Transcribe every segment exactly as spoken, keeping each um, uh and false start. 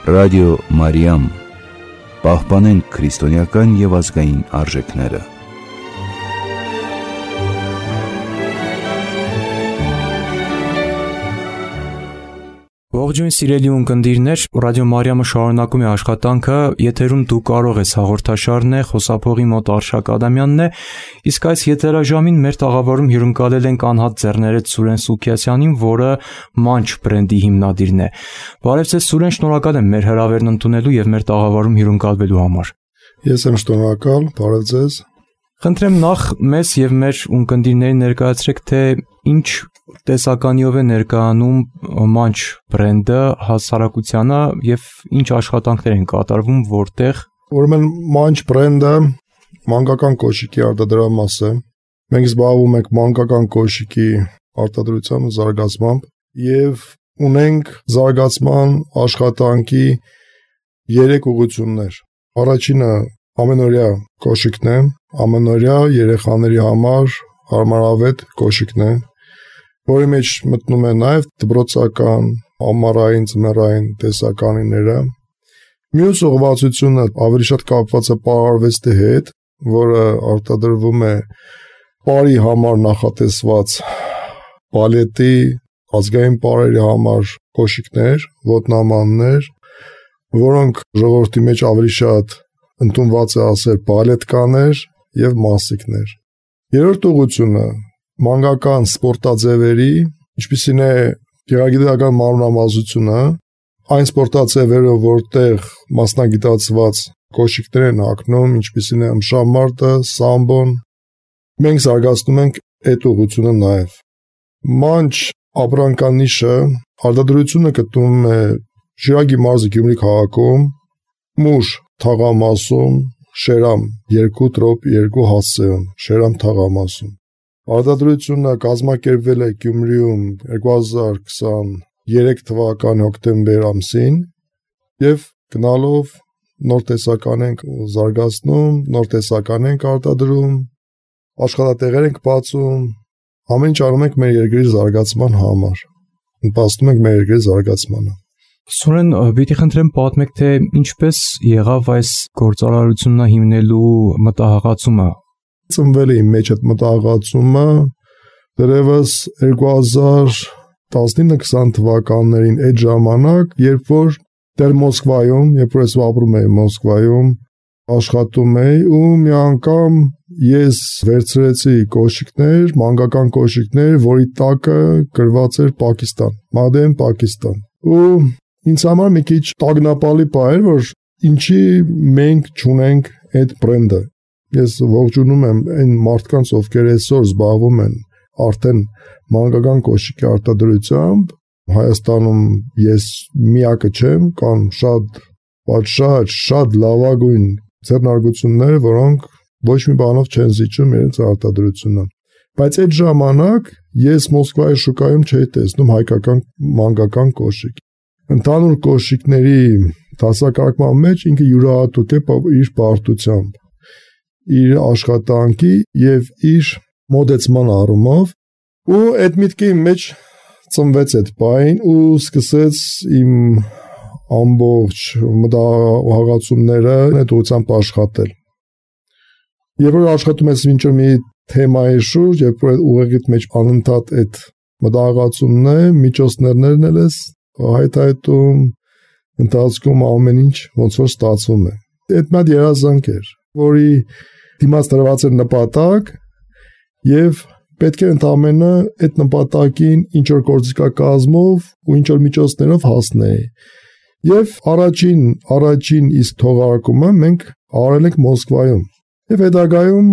Ռադիո Մարիամ, պահպանենք քրիստոնեական և ազգային արժեքները։ Ողջույն սիրելի ունկնդիրներ, Ռադիո Մարիամը շարունակում է աշխատանքը, եթերում դու կարող ես հաղորդաշարն է, խոսափողի մոտ Արշակ Ադամյանն է, իսկ այս եթերաժամին մեր տաղավարում հյուրընկալել ենք անհատ ձեռներեց Սուրեն Սուքիասյանին, որը Munch բրենդի հիմնադիրն է։ Բարև ձեզ Սուրեն, շնորհակալ եմ մեր հրավերն ընդունելու և մեր տաղավարում հյուրընկալվելու համար։ Ես եմ շնորհակալ, բարև ձեզ։ Խնդրեմ նախ մեզ և մեր ունկնդիրներին ներկայացրեք, թե ինչ տեսականիով է ներկայանում Munch բրենդը հասարակությանը և ինչ աշխատանքներ են կատարվում, որտեղ։ Ուրեմն Munch բրենդը մանկական կոշիկի արտադրամաս է։ Մենք զբաղվում ենք մանկական կոշիկի արտադրությամբ, զարգացմամբ և ունենք զարգացման աշխատանքի երեք ուղղություններ։ Առաջինը ամենօրյա կոշիկն է, ամենօրյա երեխաների համար հարմարավետ կոշիկն է, որի մեջ մտնում է նաև դպրոցական, ամառային, ձմեռային տեսականիները։ Մյուս ուղղվածությունը ավելի շատ կապված է պարարվեստի հետ, որը արտադրվում է պարի համար նախատեսված բալետի, ազգային պարերի համար կոշիկներ, ոտնամաններ, որոնք ժողովրդի մեջ ավելի շատ ընդունված է ասել բալետկաներ և մասիկներ։ Երրորդ ուղղությունը մանկական սպորտաձևերի, ինչպիսին է գեղագիտական մարմնամազությունը, այն սպորտաձևերը, որտեղ մասնագիտացված կոշիկներ են հագնում, ինչպիսին է ըմբշամարտը, սամբոն, մենք զարգացնում ենք այդ ուղղությունը նաև։ Munch ապրանքանիշը արտադրությունը գտնվում է Շիրակի մարզի Գյումրի քաղաքում, Մուշ թաղամասում, Շերամ երկու տրոպ երկու հասցեում, Շերամ թաղամասում։ Արտադրությունը կազմակերպվել է Գյումրիում երկու հազար քսաներեք թվականի հոկտեմբեր ամսին և գնալով նոր տեսական ենք զարգացնում, նոր տեսական ենք արտադրում, աշխատատեղեր ենք բացում, ամեն ինչ անում ենք մեր երկրի զարգացման համար, նպաստում ենք մեր երկրի զարգացմանը։ Սուրեն, պիտի խնդրեմ պատմեք, թե ինչպես եղավ այս գործարարությունը հիմնելու մտահղացումը։ Ծնվել է իմ մեջ այդ մտահղացումը դեռևս երկու հազար տասնինը քսան թվականներին, այդ ժամանակ, երբ որ դեռ Մոսկվայում, երբ որ ես ապրում էի Մոսկվայում, աշխատում էի ու մի անգամ ես վերցրեցի կոշիկներ, մանկական կոշիկներ, որի տակը գրված էր Պակիստան, Made in Pakistan։ Ու ինձ համար մի քիչ տագնապալի բան էր, որ ինչի մենք չունենք այդ բրենդը։ Ես ողջունում եմ այն մարդկանց, ովքեր այսօր զբաղվում են արդեն մանկական կոշիկի արտադրությամբ։ Հայաստանում ես միակը չեմ, կան շատ պատշաճ, շատ լավագույն ձեռնարկություններ, որոնք ոչ մի բանով չեն զիջում իրենց արտադրությունը։ Բայց այդ ժամանակ ես Մոսկվայի շուկայում չէի տեսնում հայկական մանկական կոշիկ։ Ընդհանուր կոշիկների դասակարգման մեջ ինքը յուրահատուկ է իր բարդությամբ, իր աշխատանքի և իր մոտեցման առումով, ու այդ միտքը իմ մեջ ծնվեց այդ բան ու սկսեց իմ ամբողջ մտահղացումները այդ ուղղությամբ աշխատել։ Երբ որ աշխատում ես ինչ-որ մի թեմայի շուրջ, երբ որ ուղեղիդ մեջ անընդհատ այդ մտահղացումն է, միջոցներն էլ ես հայթայթում, ընթացքում ամեն ինչ ոնց որ ստացվում է։ Այդ մի հատ երազանք էր, որի դիմաց դրված էր նպատակ և պետք է ընդամենը այդ նպատակին ինչ որ գործիքակազմով ու ինչ որ միջոցներով հասնեի։ Եվ առաջին, առաջին իսկ թողարկումը մենք արել ենք Մոսկվայում։ Եվ հետագայում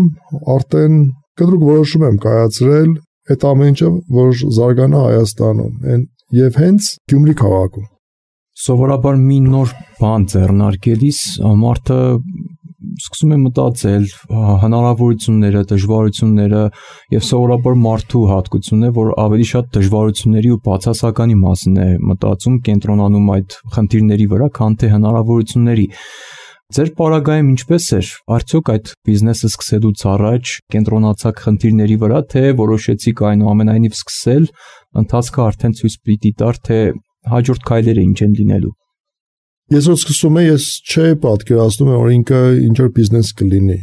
արդեն կտրուկ որոշում եմ կայացրել այդ ամեն ինչը, որ զարգանա Հայաստանում և հենց Գյումրի քաղաքում։ Սովորաբար մի նոր բան ձեռնարկելիս մարդը սկսում է մտածել հնարավորությունները, դժվարությունները և սովորաբար մարդու հատկությունն է, որ ավելի շատ դժվարությունների ու բացասականի մասին է մտածում, կենտրոնանում այդ խնդիրների վրա, քան թե հնարավորությունների։ Ձեր պարագայում ինչպես էր, արդյոք այդ բիզնեսը սկսելուց առաջ կենտրոնացաք խնդիրների վրա, թե որոշեցիք այնուամենայնիվ սկսել, ընթացքը արդեն ցույց պիտի տար, թե հաջորդ քայլերը ինչ են լինելու։ Ես որ սկսում եմ, ես չէի պատկերացնում, որ ինքը ինչ-որ բիզնես կլինի։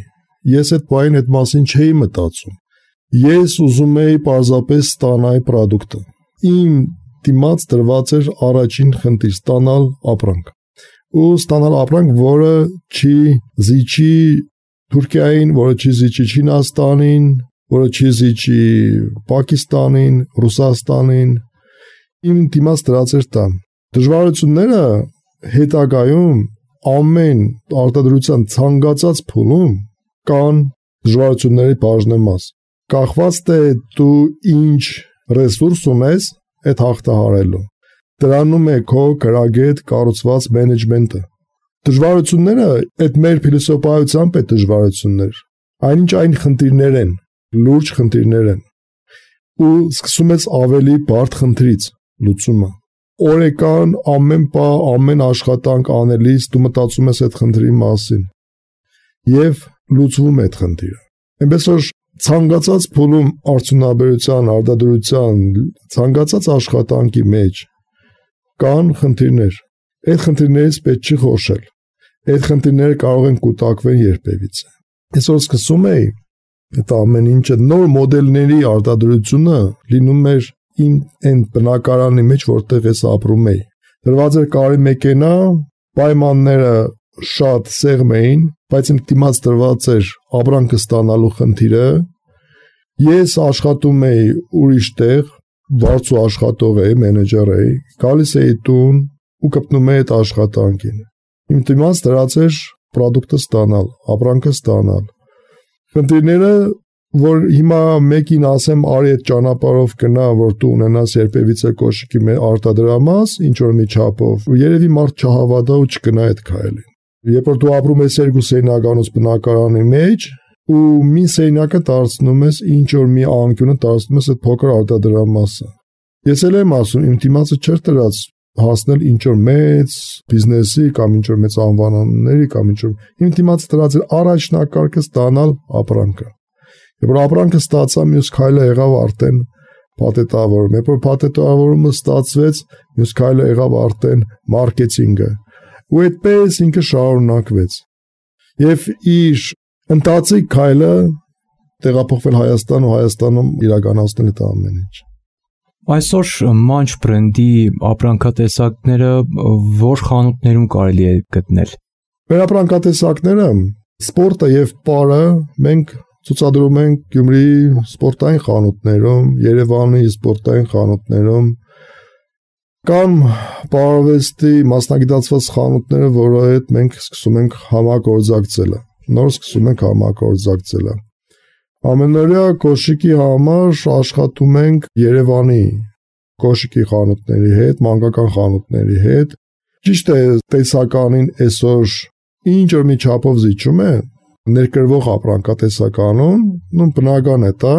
Ես այդ բային այդ մասին չէի մտածում։ Ես ուզում էի պարզապես ստանալ պրոդուկտը։ Իմ դիմաց դրված էր առաջին խնդիր՝ ստանալ ապրանք։ Ու ստանալ ապրանք, որը չի զիջի Թուրքիային, որը չի զիջի Չինաստանին, որը չի զիջի Պակիստանին, Ռուսաստանին։ Իմ դիմաց դրած էր դա։ Դժվարությունները հետագայում ամեն արտադրության ցանկացած փուլում կան դժվարությունների բաժնեմաս։ Կախված թե դու ինչ ռեսուրս ունես այդ հաղթահարելու։ Դրանում է քո գրագետ կառուցված մենեջմենտը։ Դժվարությունները այդ մեր փիլիսոփայությամբ է դժվարություններ։ Այնինչ այն խնդիրներ են, լուրջ խնդիրներ են։ Ու սկսում ես ավելի բարդ խնդրից լուծումը։ Օրեկան ամեն բան, ամեն աշխատանք անելիս դու մտածում ես այդ խնդրի մասին եւ լուծվում է այդ խնդիրը։ Այնպես որ ցանկացած փուլում արդյունաբերության, արտադրության, ցանկացած աշխատանքի մեջ կան խնդիրներ։ Այդ խնդիրներից պետք չի խորշել։ Այդ խնդիրները կարող են կուտակվել երբևիցե։ Այսօր սկսում էի այդ ամեն ինչը նոր մոդելների արտադրությունը լինում էր իմ այն բնակարանի մեջ, որտեղ ես ապրում էի։ Դրված էր կարի մեքենա, պայմանները շատ սեղմ էին, բայց իմ դիմաց դրված էր ապրանքը ստանալու խնդիրը։ Ես աշխատում էի ուրիշ տեղ, վարձու աշխատող էի, մենեջեր էի, գալիս էի տուն ու կպնում էի այդ աշխատանքին։ Իմ դիմաց դրած էր պրոդուկտը ստանալ, ապրանքը ստանալ։ Խնդիրները, որ հիմա մեկին ասեմ, արի այդ ճանապարհով գնա, որ դու ունենաս երբևիցե կոշիկի արտադրամաս, ինչ որ մի չափով, երևի մարդ չհավատա ու չգնա այդ քայլին։ Երբ որ դու ապրում ես երկու սենյականոց բնակարանի մեջ, ու մի սենյակը դարձնում ես, ինչ որ մի անկյունը դարձնում ես այդ փոքր արտադրամասը։ Ես էլ եմ ասում, իմ դիմացը չէր դրած հասնել ինչ որ մեծ բիզնեսի կամ ինչ որ մեծ անվանումների կամ ինչ որ իմ դիմացը դրած էր առաջնակարգը ստանալ ապրանքը։ Երբ որ ապրանքը ստացա, մյուս քայլը եղավ արդեն փաթեթավորում։ Երբ որ փաթեթավորումը ստացվեց, մյուս քայլը եղավ արդեն մարքեթինգը։ Ու այդպես ինքը շարունակվեց։ Եվ իր ընթացիկ քայլը տեղափոխվել Հայաստան ու Հայաստանում իրականացնել այդ ամեն ինչ։ Այսօր Munch բրենդի ապրանքատեսակները որ խանութներում կարելի է գտնել։ Մեր ապրանքատեսակները սպորտը եւ պարը մենք ցուցադրում ենք Գյումրիի սպորտային խանութներում, Երևանի սպորտային խանութներում, կամ պարավեստի մասնագիտացված խանութները, որը հետ մենք սկսում ենք համագործակցել։ Նոր սկսում ենք համագործակցել։ Ամենօրյա կոշիկի համար աշխատում ենք Երևանի կոշիկի խանութների հետ, մանկական խանութների հետ։ Ճիշտ է, տեսականին այսօր ինչ որ մի չափով զիջում է ներկրվող ապրանքատեսականում, նույն բնական է դա,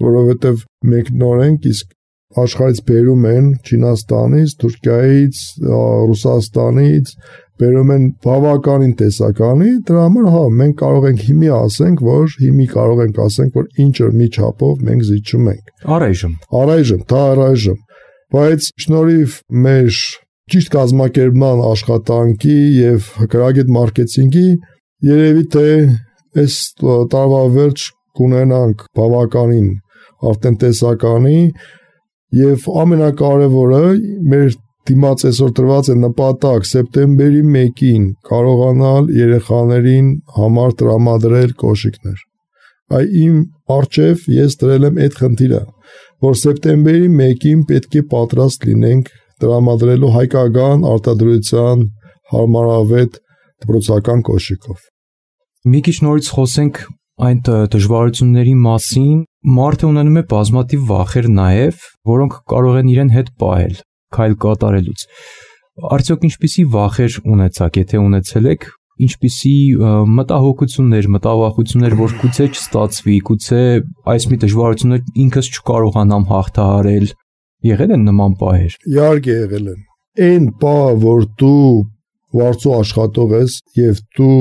որովհետև մենք նոր ենք, իսկ աշխարհից բերում են Չինաստանից, Թուրքիայից, Ռուսաստանից, բերում են բավականին տեսականի, դրա համար հա մենք կարող ենք հիմի ասենք, որ հիմի կարող ենք ասենք, որ ինչ որ մի չափով մենք զիջում ենք։ Առայժմ։ Առայժմ, դա առայժմ։ Բայց շնորհիվ մեր ճիշտ կազմակերպման աշխատանքի եւ գրագետ մարքեթինգի երևի թե այս տարվա վերջ կունենանք բավականին արդեն տեսականի եւ ամենակարևորը մեր դիմաց այսօր տրված է նպատակ սեպտեմբերի մեկին կարողանալ երեխաներին համար տրամադրել կոշիկներ։ Այ իմ արչև ես դրել եմ այդ խնդիրը, որ սեպտեմբերի մեկին պետք է պատրաստ լինենք տրամադրելու հայկական արտադրության հարմարավետ դպրոցական կոշիկով։ Մի քիչ նորից խոսենք այն դժվարությունների մասին։ Մարդը ունենում է բազմաթիվ վախեր նաև, որոնք կարող են իրեն հետ պահել քայլ կատարելուց։ Արդյոք ինչպիսի վախեր ունեցաք, եթե ունեցել եք, ինչպիսի մտահոգություններ, մտավախություններ, որ գուցե չստացվի, գուցե այս մի դժվարություններ ինքս չկարողանամ հաղթահարել, եղել են նման պահեր։ Իհարկե եղել են։ Այն պահը, որ դու վարձու աշխատող ես եւ դու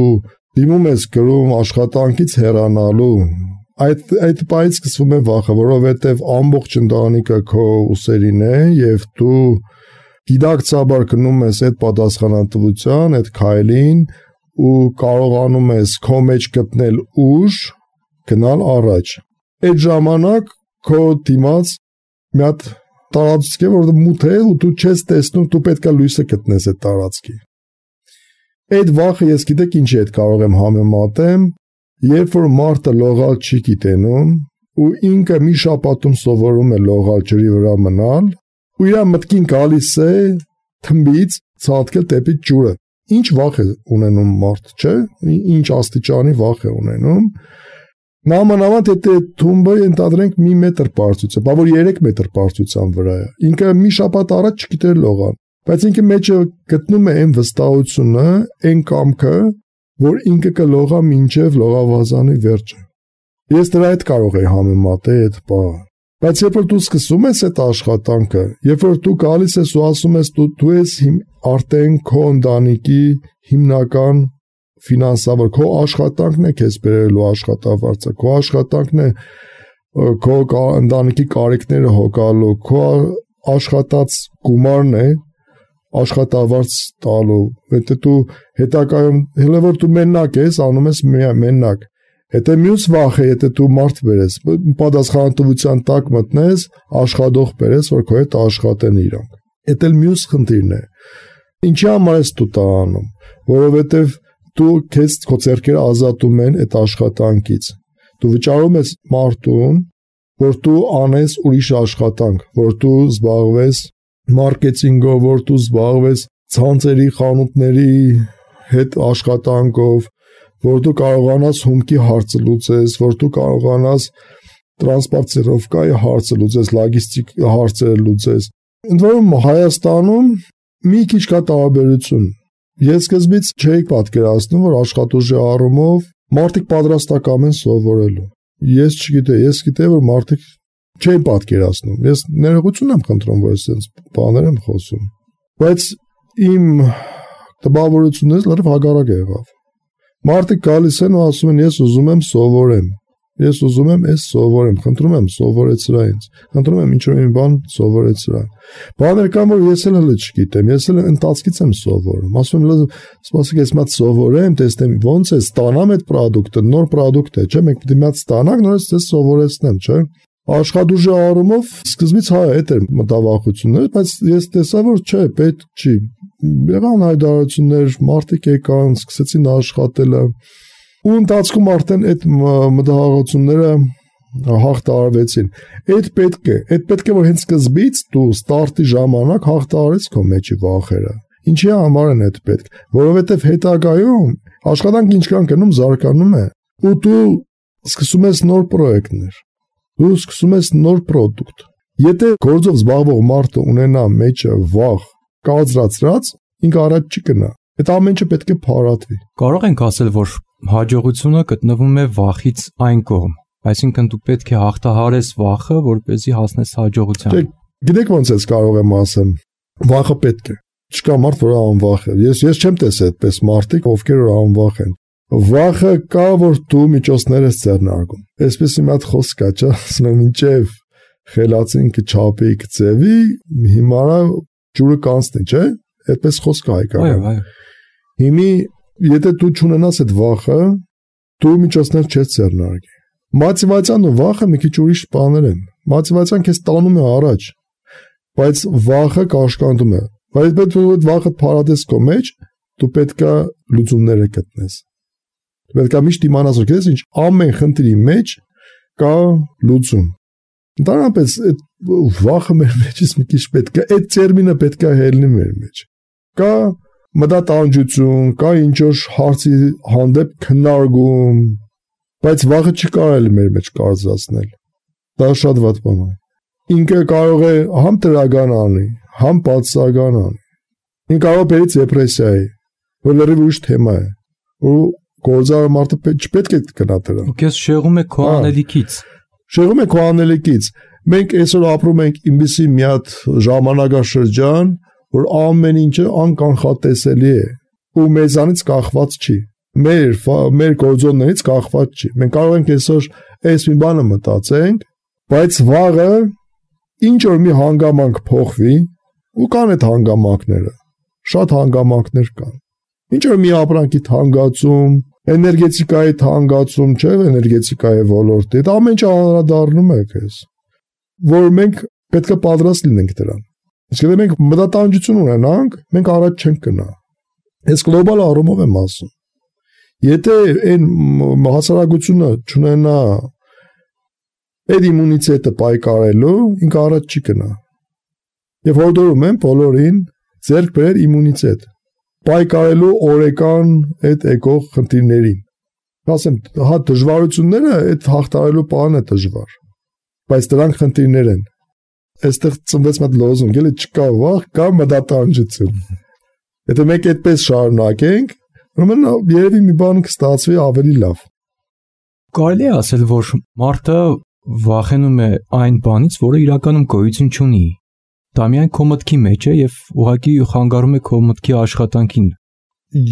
դիմում ես գրում աշխատանքից հեռանալու, այդ այդ պահից սկսվում է վախը, որովհետև ամբողջ ընտանիքը քո ուսերին է եւ դու գիտակցաբար գնում ես այդ պատասխանատվության, այդ քայլին ու կարողանում ես քո մեջ գտնել ուժ, գնալ առաջ։ Այդ ժամանակ քո դիմաց մի հատ տարածք է, որը մութ է ու դու չես տեսնում, դու պետք է լույսը գտնես այդ տարածքի։ Այդ վախը ես գիտեք ինչի հետ կարող եմ համեմատեմ, երբ որ մարդը լողալ չի գիտենում ու ինքը մի շաբաթում սովորում է լողալ ջրի վրա մնալ, ու իր մտքին գալիս է թմբից ցածկել դեպի ջուրը։ Ինչ վախ է ունենում մարդ, չէ՞։ Ինչ աստիճանի վախ է ունենում։ Նամանավանդ եթե թումբը ընդհանրենք մի մետր բարձրությամբ, բա որ երեք մետր բարձրության վրա է։ Ինքը մի շաբաթ առաջ չգիտեր լողալ, բայց ինքը մեջը գտնում է այն վստահությունը, այն կամքը, որ ինքը կլողա մինչև լողավազանի վերջը։ Ես դրա հետ կարող եի համեմատել այդ բանը։ Բայց երբ որ դու սկսում ես այդ աշխատանքը, երբ որ դու գալիս ես ու ասում ես դու դու ես արդեն քո ընտանիքի հիմնական ֆինանսավոր, քո աշխատանքն է քեզ բերելու աշխատավարձը, քո աշխատանքն է քո ընտանիքի կարիքները հոգալու, քո աշխատած գումարն է աշխատավարձ տալու։ Եթե դու հետագայում հենց որ դու մենակ ես, անում ես մենակ։ Եթե մյուս վախը, եթե դու մարդ բերես, պատասխանատվության տակ մտնես, աշխատող բերես, որ քո հետ աշխատեն իրանք։ Այդ էլ մյուս խնդիրն է։ Ինչի համար ես դու դա անում, որովհետև դու քեզ քո ձեռքերը ազատում են այդ աշխատանքից։ Դու վճարում ես մարդուն, որ դու անես ուրիշ աշխատանք, որ դու զբաղվես մարքեթինգով, որ դու զբաղվես ցանցերի, խանութների հետ աշխատանքով, որ դու կարողանաս հումքի հարցը լուծես, որ դու կարողանաս տրանսպորտировկայի հարցը լուծես, լոգիստիկ հարցերը լուծես։ Ընդ որում Հայաստանում մի քիչ կա տարբերություն։ Ես սկզբից չէի պատկերացնում, որ աշխատուժի առումով մարդիկ պատրաստական են սովորելու։ Ես չգիտեի, ես գիտեի, որ մարդիկ չեն պատկերացնում։ Ես ներողություն եմ խնդրում, որ ես այնպես բաներ եմ խոսում։ Բայց իմ տպավորությունից լրիվ հակառակը եղավ։ Մարդիկ գալիս են ու ասում են ես ուզում եմ սովորեմ, ես ուզում եմ այս սովորեմ, խնդրում եմ սովորեցրա ինձ, խնդրում եմ ինչ-որ մի բան սովորեցրա։ Բաներ կան, որ ես էլ հələ չգիտեմ, ես էլ ընթացքից եմ սովորում, ասում եմ սպասեք ես մատ սովորեմ, տեսնեմ ոնց է, ստանամ այդ պրոդուկտը, նոր պրոդուկտ է, չէ՞, մենք պետք է մատ ստանանք, նորից ձեզ սովորեցնեմ, չէ՞։ Աշխատուժի առումով սկզբից հա այդ էր մտավախությունները, բայց ես տեսա, որ չէ, պետք չի։ Եղան հայտարարություններ, մարդիկ եկան, սկսեցին աշխատելը, ու ընթացքում արդեն այդ մտահաղությունները հաղթահարվեցին։ Այդ պետք է, այդ պետք է որ հենց սկզբից դու ստարտի ժամանակ հաղթահարես քո մեջի վախերը։ Ինչի համար են այդ պետք, որովհետև հետագայում աշխատանքը ինչքան գնում զարգանում է, ու դու սկսում ես նոր պրոյեկտներ, դու սկսում ես նոր պրոդուկտ։ Եթե գործով զբաղվող մարդը ունենա մեջը վախ, կազրացրած, ինքը առաջ չի գնա։ Այդ ամենը պետք է փարատվի։ Կարող ենք ասել, որ հաջողությունը գտնվում է վախից այն կողմ, այսինքն դու պետք է հաղթահարես վախը, որպեսզի հասնես հաջողության։ Գիտեք ոնց ես կարող եմ ասեմ, վախը պետք է։ Չկա մարդ, որ անվախ է։ Ես ես չեմ տեսել այդպես մարդիկ, ովքեր որ անվախ են։ Վախը կա, որ դու միջոցներ ես ձեռնարկում։ Այսպես մի հատ խոսք կա, չէ՞, ասում եմ ինչև խելացին կչափի կծեվի, հիմա ջուրը կանցնի, չէ՞։ Այդպես խոսք է հայկական։ Այո, այո։ Հիմի եթե դու չունենաս այդ վախը, դու միջոցներ չես ձեռնարկի։ Մոտիվացիան ու վախը մի քիչ ուրիշ բաներ են։ Մոտիվացիան քեզ տանում է առաջ, բայց վախը կաշկանդում է։ Բայց պետք է այդ վախը փարատես քո մեջ, դու պետք է լուծումները գտնես։ Դու պետք է միշտ իմանաս, որ քեզ ինչ ամեն խնդրի մեջ կա լուծում։ Ընդհանրապես այդ վախը մեր մեջից մի քիչ պետք է, այդ տերմինը պետք է հելնի մեր մեջ։ Կա մտատանջություն, կա ինչ-որ հարցի հանդեպ քննարկում, բայց վախը չի կարելի մեր մեջ կարծրացնել։ Դա շատ վատ բան է։ Ինքը կարող է համ տրական անի, համ պատսական անի։ Ինքը կարող է բերի դեպրեսիայի, որ լրիվ ուրիշ թեմա է։ Ու գործարար մարդը չպետք է գնա դրան։ Ու քեզ շեղում է քո անելիքից։ Շեղում է քո անելիքից։ Մենք այսօր ապրում ենք ինքնիսի մի հատ ժամանակաշրջան, որ ամեն ինչը անկանխատեսելի է ու մեզանից կախված չի։ Մեր մեր գործոններից կախված չի։ Մենք կարող ենք այսօր այս մի բանը մտածենք, բայց վաղը ինչ որ մի հանգամանք փոխվի, ու կան այդ հանգամանքները, շատ հանգամանքներ կան։ Ինչ որ մի ապրանքի թանկացում, էներգետիկայի թանկացում, չէ, էներգետիկայի ոլորտի, դա ամեն ինչ անդրադառնում է քեզ, որ մենք պետք է պատրաստ լինենք դրան։ Իսկ եթե մենք մտատանջություն ունենանք, մենք առաջ չենք գնա։ Ես գլոբալ առումով եմ ասում։ Եթե այն հասարակությունը չունենա այդ իմունիտետը պայքարելու, ինքը առաջ չի գնա։ Եվ հորդորում եմ բոլորին ձեռք բերել իմունիտետ, պայքարելու օրեկան այդ եկող խնդիրներին։ Ասեմ, հա դժվարությունները այդ հաղթարելու բանը է դժվար, բայց դրանք խնդիրներ են։ Այստեղ ծնվեց մի լոզունգ, էլի չկա վախ, կա մտատանջություն։ Եթե մենք այդպես շարունակենք, ուրեմն երևի մի բան կստացվի ավելի լավ։ Կարելի է ասել, որ մարդը վախենում է այն բանից, որը իրականում գոյություն չունի։ Դա միայն քո մտքի մեջ է եւ ուղղակի խանգարում է քո մտքի աշխատանքին։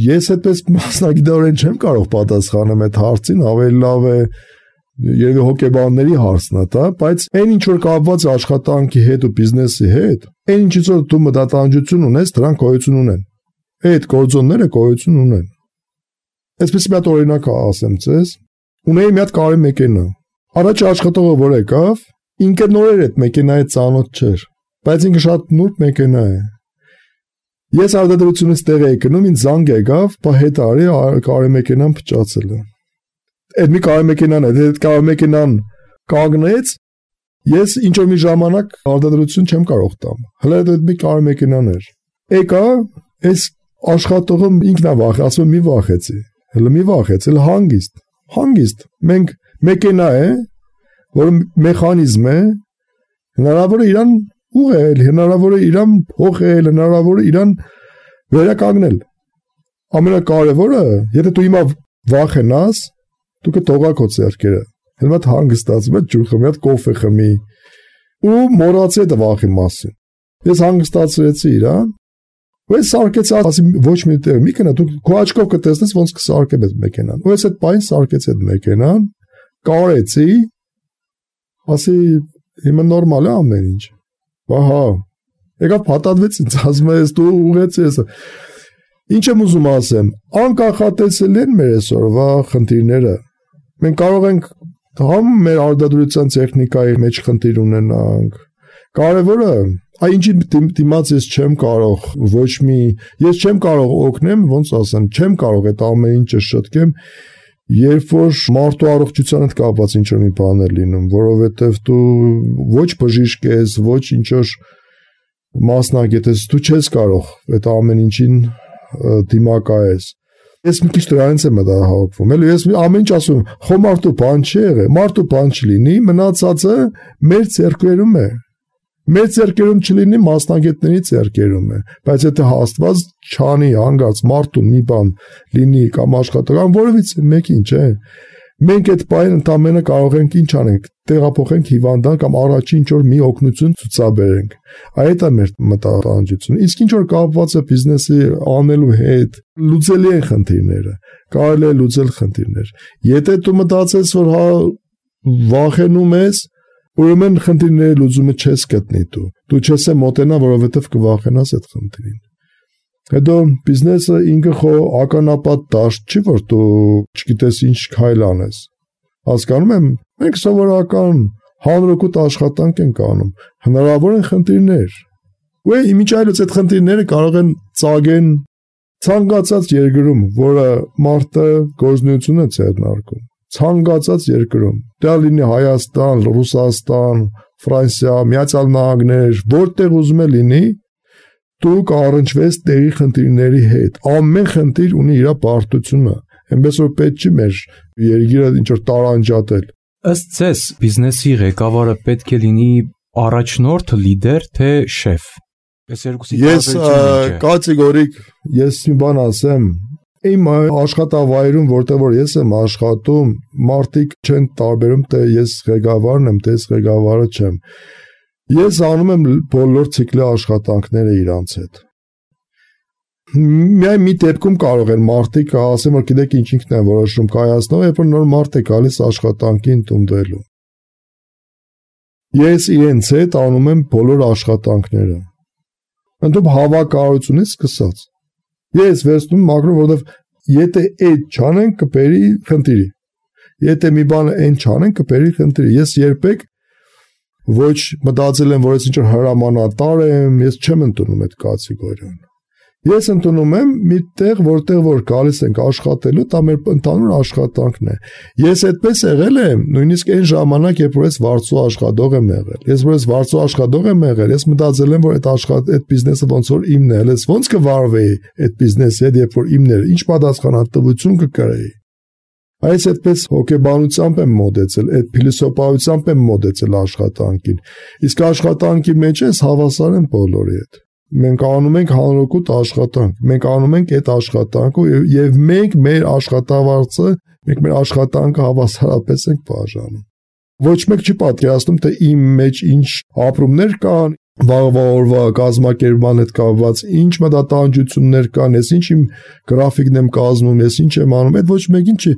Ես այդպես մասնագիտորեն չեմ կարող պատասխանել այդ հարցին, ավելի լավ է երևի հոգեբանների հարցն է դա, բայց այն ինչ որ կապված է աշխատանքի հետ ու բիզնեսի հետ, այն ինչից որ դու մտատանջություն ունես, դրանք գոյություն ունեն։ Այդ գործոնները գոյություն ունեն։ Այսպես մի հատ օրինակ ասեմ ձեզ, ունեի մի հատ կարի մեքենա։ Առաջ աշխատողը որ եկավ, ինքը նորեր այդ մեքենայի ծանոթ չէր, բայց ինքը շատ նուրբ մեքենա է։ Ես արտադրությունից տեղ էի գնում, ինձ զանգ եկավ, բա հետ արի կարի մեքենան փճացել է։ Այդ մի կարի մեքենան է, այդ կարի մեքենան կանգնեց, ես ինչ որ մի ժամանակ արտադրություն չեմ կարող տամ։ Հələ այդ մի կարի մեքենան էր։ Եկա, այս աշխատողը ինքն է վախ, ասում մի վախեցի։ Հələ մի վախեց, էլ հանգիստ, հանգիստ։ Մենք մեքենա է, որը մեխանիզմ է, հնարավոր է իրան ուղղել, հնարավոր է իրան փոխել, հնարավոր է իրան վերականգնել։ Ամենակարևորը, եթե դու հիմա վախենաս, դու կթողա քո ձեռքերը։ Հենց այդ հանգստացում ես, ջուր խմի, հատ կոֆե խմի ու մոռացի այդ վախի մասին։ Ես հանգստացրեցի իրան, ու ես սարքեցի, ասի ոչ մի տեղ, մի կնա դու քո աչքով կտեսնես ոնց կսարքեմ այդ մեքենան։ Ու ես այդ բան սարքեցի այդ մեքենան, կարեցի, ասի հիմա նորմալ է ամեն ինչ։ Ահա, եկավ փաթաթվեց ինձ, ասում ես դու ուղեցի ես։ Ինչ եմ ուզում ասեմ, անկախատեսել են մեր այսօրվա խնդիրները։ Մենք կարող ենք համ մեր արտադրության տեխնիկայի մեջ խնդիր ունենանք։ Կարևորը, այ ինչի դիմաց ես չեմ կարող, ոչ մի, ես չեմ կարող օգնեմ, ոնց ասեմ, չեմ կարող այդ ամեն ինչը շտկեմ, երբ որ մարդու առողջության հետ կապված ինչ-որ մի բան է լինում, որովհետև դու ոչ բժիշկ ես, ոչ ինչ-որ մասնագետ ես, դու չես կարող այդ ամեն ինչին դիմակայես։ Ես մի քիչ դրանից եմ մտահոգվում, էլի ես ամեն ինչ ասում, խո մարդու բան չի եղել, մարդու բան չլինի, մնացածը մեր ձեռքերում է։ Մեր ձեռքերում չլինի, մասնագետների ձեռքերում է, բայց եթե հաստված չանի հանգած մարդուն մի բան լինի կամ աշխատական որևիցե մեկին, չէ։ Մենք այդ բանը ընդամենը կարող ենք ինչ անենք, տեղափոխենք հիվանդան կամ առաջին ինչ-որ մի օգնություն ցուցաբերենք։ Այդ է մեր մտահոգությունը։ Իսկ ինչ որ կապված է բիզնեսի անելու հետ, լուծելի են խնդիրները, կարելի է լուծել խնդիրներ։ Եթե դու մտածես, որ հա վախենում ես, ուրեմն խնդիրների լուծումը չես գտնի դու։ Դու չես մոտենա, որովհետև կվախենաս այդ խնդրին։ Հետո բիզնեսը ինքը խո ականապատ դաշտ չի, որ դու չգիտես ինչ քայլ անես։ Հասկանում եմ, մենք սովորական հանրօգուտ աշխատանք ենք անում, հնարավոր են խնդիրներ։ Ու իմիջ այլոց այդ խնդիրները կարող են ծագեն ցանկացած երկրում, որը մարդը գործունեություն է ձեռնարկում։ Ցանկացած երկրում, դա լինի Հայաստան, Ռուսաստան, Ֆրանսիա, Միացյալ Նահանգներ, որտեղ ուզում է լինի, դու կառնչվես տեղի խնդիրների հետ։ Ամեն խնդիր ունի իր բարդությունը։ Այնպես որ պետք չի մեր երկիրը ինչ որ տարանջատել։ Ըստ ձեզ, բիզնեսի ղեկավարը պետք է լինի առաջնորդ, լիդեր, թե շեֆ։ Այս երկուսի տարբերությունը ինչ է։ Ես կատեգորիկ, ես մի բան ասեմ, իմ աշխատավայրում, որտեղ որ ես եմ աշխատում, մարդիկ չեն տարբերում, թե ես ղեկավարն եմ, թե ես ղեկավարը չեմ։ Ես անում եմ բոլոր ցիկլի աշխատանքները իրանց հետ։ Միայն մի դեպքում կարող են մարդիկ ասեմ, որ գիտեք ինչ ինքն է որոշում կայացնող, երբ որ նոր մարդ է գալիս աշխատանքին տունդելու։ Ես իրենց հետ անում եմ բոլոր աշխատանքները։ Ընդում հավաքարությունից սկսած։ Ես վերցնում մակրոն, որովհետև եթե այդ չանեն կբերի խնդիրի։ Եթե մի բանը այն չանեն կբերի խնդիրի։ Ես երբեք ոչ մտածել եմ, որ ես ինչ-որ հրամանատար եմ, ես չեմ ընդունում այդ կատեգորիան։ Ես ընդունում եմ մի տեղ, որտեղ որ գալիս ենք աշխատելու, դա մեր ընդհանուր աշխատանքն է։ Ես այդպես եղել եմ, նույնիսկ այն ժամանակ, երբ որ ես վարձու աշխատող եմ եղել։ Ես որ ես վարձու աշխատող եմ եղել, ես մտածել եմ, որ այդ աշխատ այդ բիզնեսը ոնց որ իմն է, ես ոնց կվարվեի այդ բիզնեսի հետ, երբ որ իմն էր, ինչ պատասխանատվություն կկրեի։ Այս այդպես հոգեբանությամբ եմ մոտեցել, այդ փիլիսոփայությամբ եմ մոտեցել աշխատանքին։ Իսկ աշխատանքի մեջ ես հավասար եմ բոլորի հետ։ Մենք անում ենք հանրօգուտ աշխատանք, մենք անում ենք այդ աշխատանքը եւ մենք մեր աշխատավարձը, մենք մեր աշխատանքը հավասարապես ենք բաժանում։ Ոչ մեկ չի պատկերացնում, թե իմ մեջ ինչ ապրումներ կան, վաղվա օրվա կազմակերպման հետ կապված ինչ մտատանջություններ կան, ես ինչ իմ գրաֆիկն եմ կազմում, ես ինչ եմ անում, այդ ոչ մեկին չի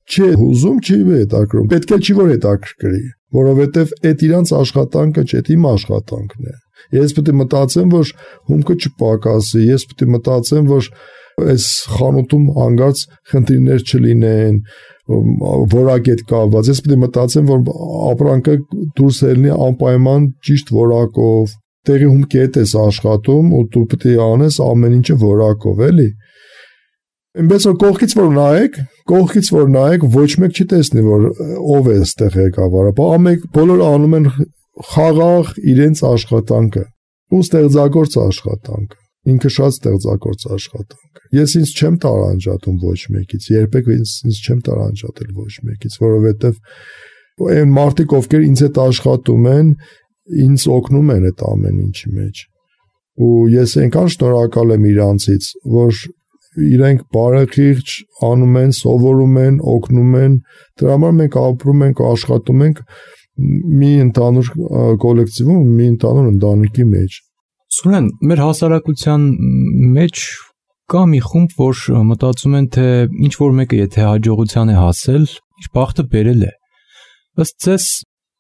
չի հուզում, չի հետաքրքրում։ Պետք է չի որ հետաքրքրի, որովհետեւ այդ իրանց աշխատանքը չէ, իմ աշխատանքն է։ Ես պետք է մտածեմ, որ հումքը չպակասի, ես պետք է մտածեմ, որ այս խանութում հանգարց խնդիրներ չլինեն, որակետ կապված, ես պետք է մտածեմ, որ ապրանքը դուրս ելնի անպայման ճիշտ որակով, տեղի հումքի հետ ես աշխատում ու դու պետք է անես ամեն ինչը որակով, էլի։ Այնպես որ կողքից որ նայեք, կողքից որ նայեք, ոչ մեկ չի տեսնի, որ ով է այստեղ ղեկավարը, ամեն բոլորը անում են խաղաղ իրենց աշխատանքը ու ստեղծագործ աշխատանքը, ինքը շատ ստեղծագործ աշխատանք է։ Ես ինձ չեմ տարանջատում ոչ մեկից, երբեք ինձ, ինձ չեմ տարանջատել ոչ մեկից, որովհետև այն մարդիկ, ովքեր ինձ հետ աշխատում են, ինձ օգնում են այդ ամեն ինչի մեջ։ Ու ես այնքան շնորհակալ եմ իրանցից, որ իրենք բարեխիղճ անում են, սովորում են, օգնում են, դրա համար մենք ապրում ենք, աշխատում ենք մի ընդհանուր կոլեկտիվում, մի ընդհանուր ընտանիքի մեջ։ Սուրեն, մեր հասարակության մեջ կա մի խումբ, որ մտածում են, թե ինչ որ մեկը եթե հաջողության է հասել, իր բախտը բերել է։ Ըստ ձեզ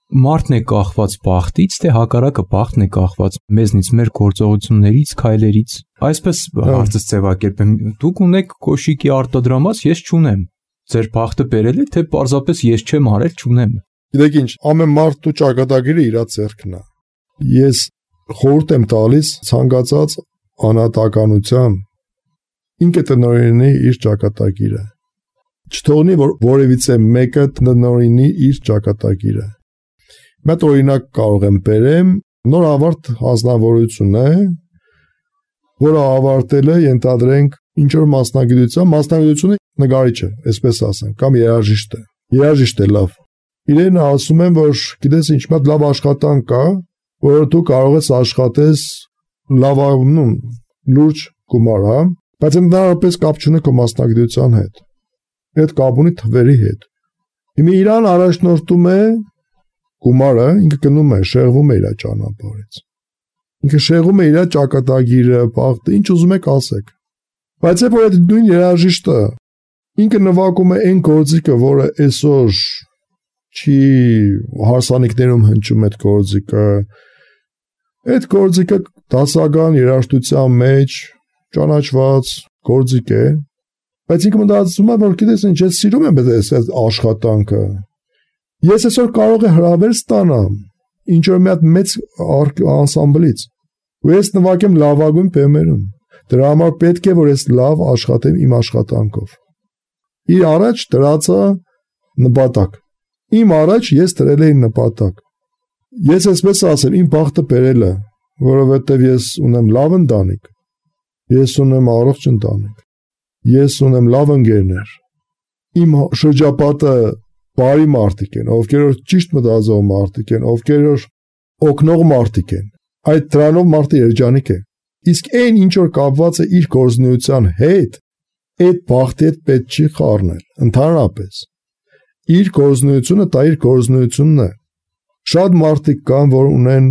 մարդն է կախված բախտից, թե հակառակը բախտն է կախված մեզնից, մեր գործողություններից, քայլերից։ Այսպես հարցս ձևակերպեմ, դուք ունեք կոշիկի արտադրամաս, ես չունեմ։ Ձեր բախտը բերել է, թե պարզապես ես չեմ արել, չունեմ։ Գիտեք ինչ, ամեն մարդու ճակատագիրը իր ձեռքն է։ Ես խորհուրդ եմ տալիս ցանկացած անհատականության ինքը տնօրինի իր ճակատագիրը։ Չթողնի որ որևիցե մեկը տնօրինի իր ճակատագիրը։ Մեկ օրինակ կարող եմ բերեմ, նոր ավարտ հանձնավորություն է, որը ավարտել է, ենթադրենք, ինչ որ մասնագիտության, մասնագիտությունը նկարիչ է, այսպես ասենք, կամ երաժիշտ է։ Երաժիշտ է լավ։ Իրեն ասում են, որ գիտես ինչ, մի լավ աշխատանք կա, որ դու կարող ես աշխատես լավանում, լուրջ գումար, հա, բայց ընդհանրապես կապ չունի քո մասնագիտության հետ։ Այդ կապ ունի թվերի հետ։ Հիմա իրան առաջնորդում է գումարը, ինքը գնում է, շեղվում է իր ճանապարհից։ Ինքը շեղում է իր ճակատագիրը, բախտը, ինչ ուզում եք ասեք։ Բայց երբ որ այդ նույն երաժիշտը ինքը նվագում է այն գործիքը, որը այսօր չի հարսանիքներում հնչում այդ գործիքը, այդ գործիքը դասական երաժշտության մեջ ճանաչված գործիք է, բայց ինքը մտածում է, որ գիտես ինչ, ես սիրում եմ այդ աշխատանքը։ Ես այսօր կարող եմ հրավեր ստանամ ինչ որ մի հատ մեծ անսամբլից, ու ես նվագեմ լավագույն բեմերում։ Դրա համար պետք է որ ես լավ աշխատեմ իմ աշխատանքով։ Իր առաջ դրածա նպատակ։ Իմ առաջ ես դրել էի նպատակ։ Ես այսպես ասեմ, իմ բախտը բերել է, որովհետև ես ունեմ լավ ընտանիք, ես ունեմ առողջ ընտանիք, ես ունեմ լավ ընկերներ, իմ շրջապատը բարի մարդիկ են, ովքեր որ ճիշտ մտածող մարդիկ են, ովքեր որ օգնող մարդիկ են, այդ դրանով մարդը երջանիկ է։ Իսկ այն ինչ որ կապված է իր գործունեության հետ, այդ բախտի հետ պետք չի խառնել, ընդհանրապես։ Իր գործունեությունը դա իր գործունեությունն է։ Շատ մարդիկ կան, որ ունեն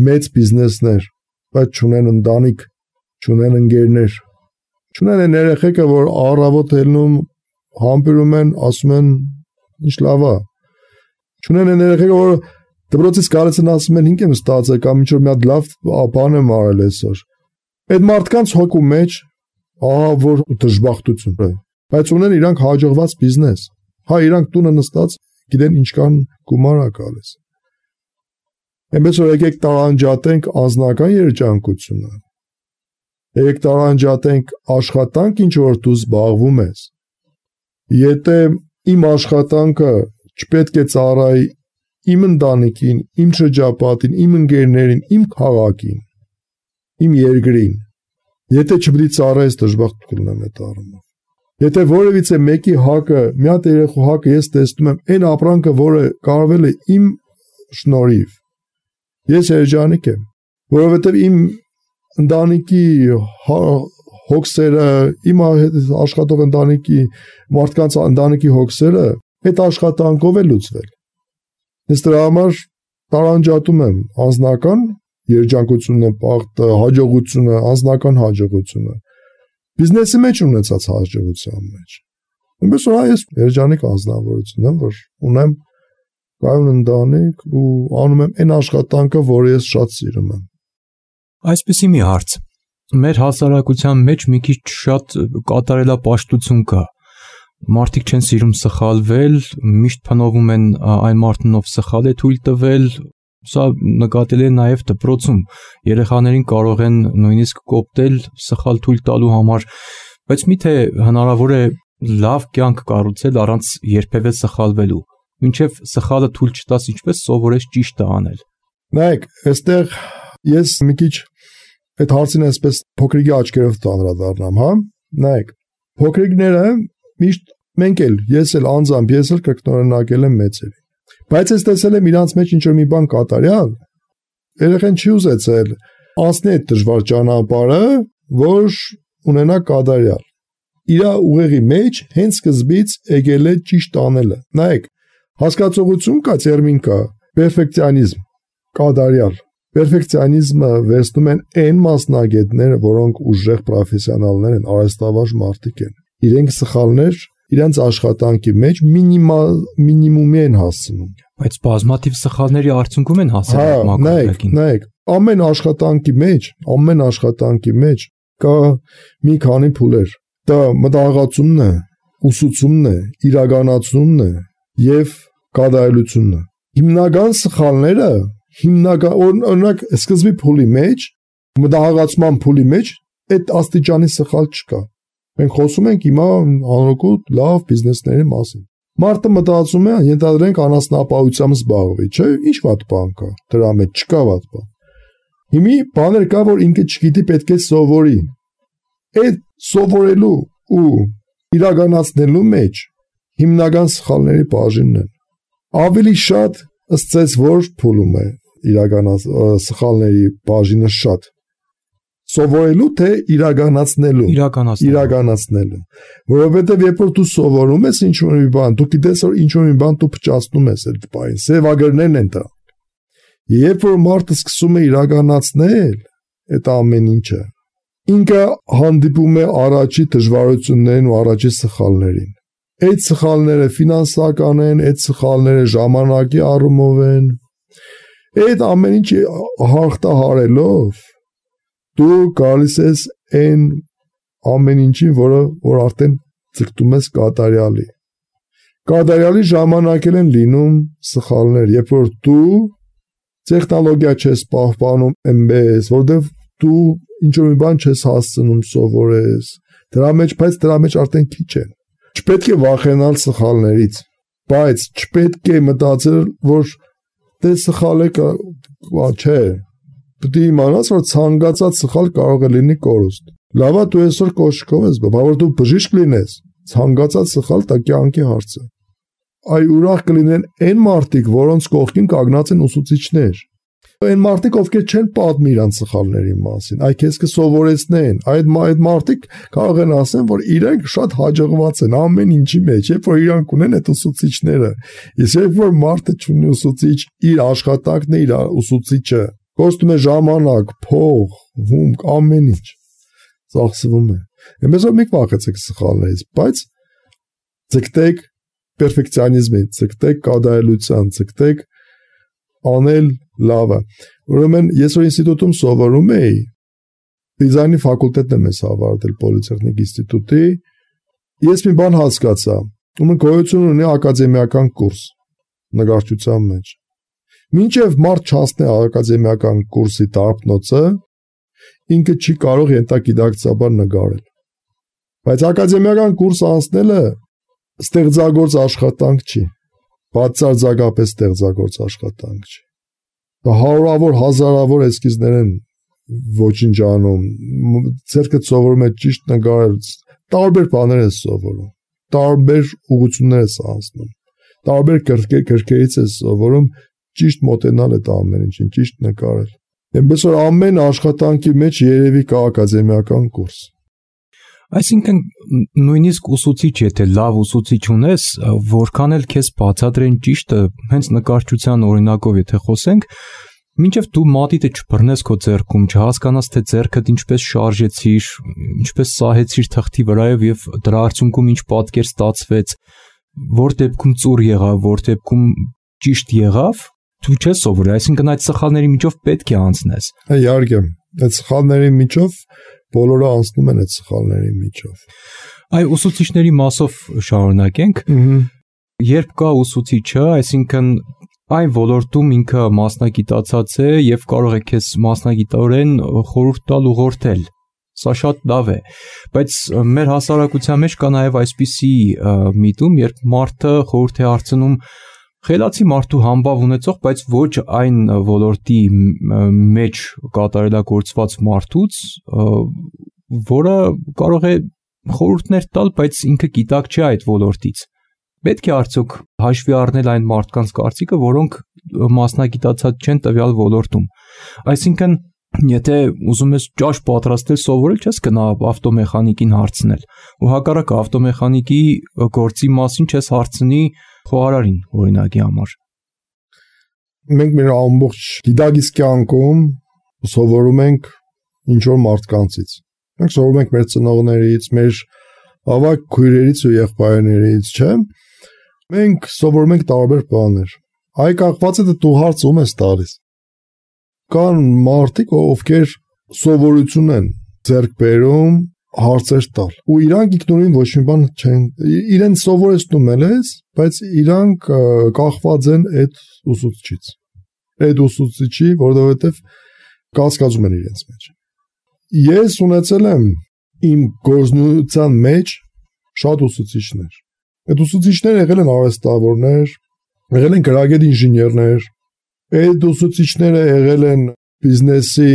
մեծ բիզնեսներ, բայց չունեն ընտանիք, չունեն ընկերներ, չունեն այն երեխեքը, որ առավոտ ելնում, համբերում են, ասում են ինչ լավ է։ Չունեն այն երեխեքը, որ դպրոցից գալիս են ասում են ինք եմ ստացել կամ ինչ որ մի հատ լավ բան եմ արել այսօր։ Այդ մարդկանց հոգու մեջ ահա որ դժբախտություն է, բայց ունեն իրանք հաջողված բիզնես։ Հա իրանք տունը նստած գիտեն ինչքան գումար է գալիս։ Այնպես որ եկեք տարանջատենք անձնական երջանկությունը։ Եկեք տարանջատենք աշխատանք, ինչ որ դու զբաղվում ես։ Եթե իմ աշխատանքը չպետք է ծառայի իմ ընտանիքին, իմ շրջապատին, իմ ընկերներին, իմ քաղաքին, իմ երկրին, եթե չպետք է ծառայես դժբախտ կլինեմ այդ առումով։ Եթե որևիցե մեկի հակը, մի հատ երեխու հակը ես տեսնում եմ այն ապրանքը, որը կարվել է իմ շնորհիվ, ես երջանիկ եմ, որովհետև իմ ընտանիքի հոգսերը, իմ աշխատող ընտանիքի մարդկանց ընտանիքի հոգսերը այդ աշխատանքով է լուծվել։ Ես դրա համար տարանջատում եմ անձնական երջանկությունը, պաղտը, հաջողությունը, անձնական հաջողությունը բիզնեսի մեջ ունեցած հաջողության մեջ։ Այնպես որ այս երջանիկ անձնավորություն եմ, որ ունեմ կայուն ընտանիք ու անում եմ այն աշխատանքը, որը ես շատ սիրում եմ։ Այսպեսի մի հարց։ Մեր հասարակության մեջ մի քիչ շատ կատարելապաշտություն կա։ Մարդիկ չեն սիրում սխալվել, միշտ փնովում են այն մարդն, ով սխալ է թույլ տվել։ Սա նկատելի է նաև դպրոցում։ Երեխաներին կարող են նույնիսկ կոպտել սխալ թույլ տալու համար, բայց միթե հնարավոր է լավ կյանք կառուցել առանց երբևէ սխալվելու։ Մինչև սխալը թույլ չտաս, ինչպես սովորես ճիշտը անել։ Նայեք, այստեղ ես մի քիչ այդ հարցին այսպես փոքրիկի աչքերով տանրադառնամ, հա։ Նայեք, փոքրիկները միշտ մենք էլ, ես էլ անձամբ, ես էլ կրկնօրինակել եմ մեծերի։ Բայց ես տեսել եմ իրանց մեջ ինչ-որ մի բան կատարյալ, երեխան չի ուզեցել անցնի այդ դժվար ճանապարհը, որ ունենա կատարյալ։ Իր ուղեղի մեջ հենց սկզբից եկել է ճիշտ անելը։ Նայեք, հասկացողություն կա, տերմին կա, պերֆեկցիոնիզմ, կատարյալ։ Պերֆեկցիոնիզմը վերցնում են այն մասնագետները, որոնք ուժեղ պրոֆեսիոնալներ են, արհեստավարժ մարդիկ են։ Իրենք սխալներ իրանց աշխատանքի մեջ մինիմալ մինիմումի են հասցնում։ Բայց բազմաթիվ սխալների արդյունքում են հասել մակարդակին։ Նայեք, ամեն աշխատանքի մեջ, ամեն աշխատանքի մեջ կա մի քանի փուլեր։ Դա մտահղացումն է, ուսուցումն է, իրականացումն է եւ կատարելությունն է։ Հիմնական սխալները, հիմնական օրինակ սկզբի փուլի մեջ, մտահղացման փուլի մեջ այդ աստիճանի սխալ չկա։ Մենք խոսում ենք հիմա հանրօգուտ լավ բիզնեսների մասին։ Մարդը մտածում է, ենթադրենք անասնապահությամբ զբաղվի, չէ՞, ինչ վատ բան կա, դրա մեջ չկա վատ բան։ Հիմի բաներ կա, որ ինքը չգիտի, պետք է սովորի։ Այդ սովորելու ու իրականացնելու մեջ հիմնական սխալների բաժինն է։ Ավելի շատ ըստ ձեզ որ փուլում է իրականաց սխալների բաժինը շատ։ Սովորելու թե իրականացնելու իրականացնելու որովհետև երբ որ դու սովորում ես ինչ-որ մի բան դու գիտես որ ինչ-որ մի բան դու փչացնում ես այդ բանին սևագրներն են դա երբ որ մարդը սկսում է իրականացնել այդ ամեն ինչը ինքը հանդիպում է առաջի դժվարություններին ու առաջի սխալներին այդ սխալները ֆինանսական են այդ սխալները ժամանակի առումով են այդ ամեն ինչ հաղթահարելով դու գալիս ես այն ամեն ինչին, որը որ արդեն ցկտում ես կատարյալի։ Կատարյալի ժամանակ են լինում սխալներ, երբ որ դու տեխնոլոգիա չես պահպանում այնպես, որտեղ դու ինչ-որ մի բան չես հասցնում սովորես, դրա մեջ, բայց դրա մեջ արդեն քիչ են։ Չպետք է վախենալ սխալներից, բայց չպետք է մտածել, որ դե սխալ է, չէ։ Պետք է իմանաս, որ ցանկացած սխալ կարող է լինի կորուստ։ Լավ է դու այսօր կոշկով ես, բա որ դու բժիշկ լինես, ցանկացած սխալ դա կյանքի հարց է։ Այ ուրախ կլինեն այն մարդիկ, որոնց կողքին կանգնած են ուսուցիչներ։ Այն մարդիկ, ովքեր չեն պատմի իրենց սխալների մասին, այ քեզ կսովորեցնեն։ Այդ այդ մարդիկ կարող են ասեն, որ իրենք շատ հաջողված են ամեն ինչի մեջ, երբ որ իրանք ունեն այդ ուսուցիչները։ Իսկ երբ որ մարդը չունի ուսուցիչ, իր աշխատանքն է իր ուսուցիչը Կոստում է ժամանակ, փող, հումք, ամեն ինչ ծախսվում է։ Εμείς որ մի վախեցեք սխալներից, բայց ցկտեք պերֆեկցիոնիզմի, ցկտեք կատարելության, ցկտեք անել լավը։ Ուրեմն ես որ ինստիտուտում սովորում էի, դիզայնի ֆակուլտետն եմ ես ավարտել Պոլիտեխնիկ ինստիտուտի։ Ես մի բան հասկացա, ում գոյություն ունի ակադեմիական կուրս նկարչության մեջ։ Մինչև մարդ չհասնի ակադեմիական կուրսի դարբնոցը, ինքը չի կարող ենթագիտակցաբար նկարել։ Բայց ակադեմիական կուրս անցնելը ստեղծագործ աշխատանք չի, բացարձակապես ստեղծագործ աշխատանք չի։ Հարյուրավոր, հազարավոր էսքիզներ են ոչնչանում, ձերքդ սովորում է ճիշտ նկարել, տարբեր բաներ ես սովորում, տարբեր ուղղություններ ես անցնում, տարբեր կրկերից ես սովորում ճիշտ մոտենալ այդ ամեն ինչին, ճիշտ նկարել։ Այնպես որ ամեն աշխատանքի մեջ երևի կա ակադեմիական կուրս։ Այսինքն նույնիսկ ուսուցիչ, եթե լավ ուսուցիչ ունես, որքան էլ քեզ բացատրեն ճիշտը, հենց նկարչության օրինակով եթե խոսենք, մինչև դու մատիտը չբռնես քո ձեռքում, չհասկանաս թե ձեռքդ ինչպես շարժեցիր, ինչպես սահեցիր թղթի վրայով եւ դրա արդյունքում ինչ պատկեր ստացվեց, որ դեպքում ծուռ եղավ, որ դեպքում ճիշտ եղավ, դու չես սովորի, այսինքն այդ սխալների միջով պետք է անցնես։ Իհարկե, այդ սխալների միջով բոլորը անցնում են այդ սխալների միջով։ Այ ուսուցիչների մասով շարունակենք։ Երբ կա ուսուցիչը, այսինքն այն ոլորտում ինքը մասնագիտացած է եւ կարող է քեզ մասնագիտորեն խորհուրդ տալ, ուղղորդել։ Սա շատ լավ է, բայց մեր հասարակության մեջ կա նաեւ այսպիսի միտում, երբ մարդը խորհուրդ է հարցնում խելացի մարդու համբավ ունեցող, բայց ոչ այն ոլորտի մեջ կատարելագործված մարդուց, որը կարող է խորհուրդներ տալ, բայց ինքը գիտակ չէ այդ ոլորտից։ Պետք է արդյոք հաշվի առնել այն մարդկանց կարծիքը, որոնք մասնագիտացած չեն տվյալ ոլորտում։ Այսինքն, եթե ուզում ես ճաշ պատրաստել, սովորել չես գնա ավտոմեխանիկին հարցնել, ու հակառակը ավտոմեխանիկի գործի մասին չես հարցնի խոհարարին, օրինակի համար։ Մենք մեր ամբողջ գիտակից կյանքում սովորում ենք ինչ-որ մարդկանցից։ Մենք սովորում ենք մեր ծնողներից, մեր ավագ քույրերից ու եղբայրներից, չէ՞։ Մենք սովորում ենք տարբեր բաներ։ Այ կախված է դու հարց ում ես տալիս։ Կան մարդիկ, ովքեր սովորություն են ձեռք բերում հարցեր տալ, ու իրանք ինքնուրույն ոչ մի բան չեն, իրեն սովորեցնում ես, բայց իրանք կախված են այդ ուսուցչից, այդ ուսուցիչի, որովհետև կասկածում են իրենց մեջ։ Ես ունեցել եմ իմ գործունեության մեջ շատ ուսուցիչներ։ Այդ ուսուցիչները եղել են արհեստավորներ, եղել են գրագետ ինժեներներ, այդ ուսուցիչները եղել են բիզնեսի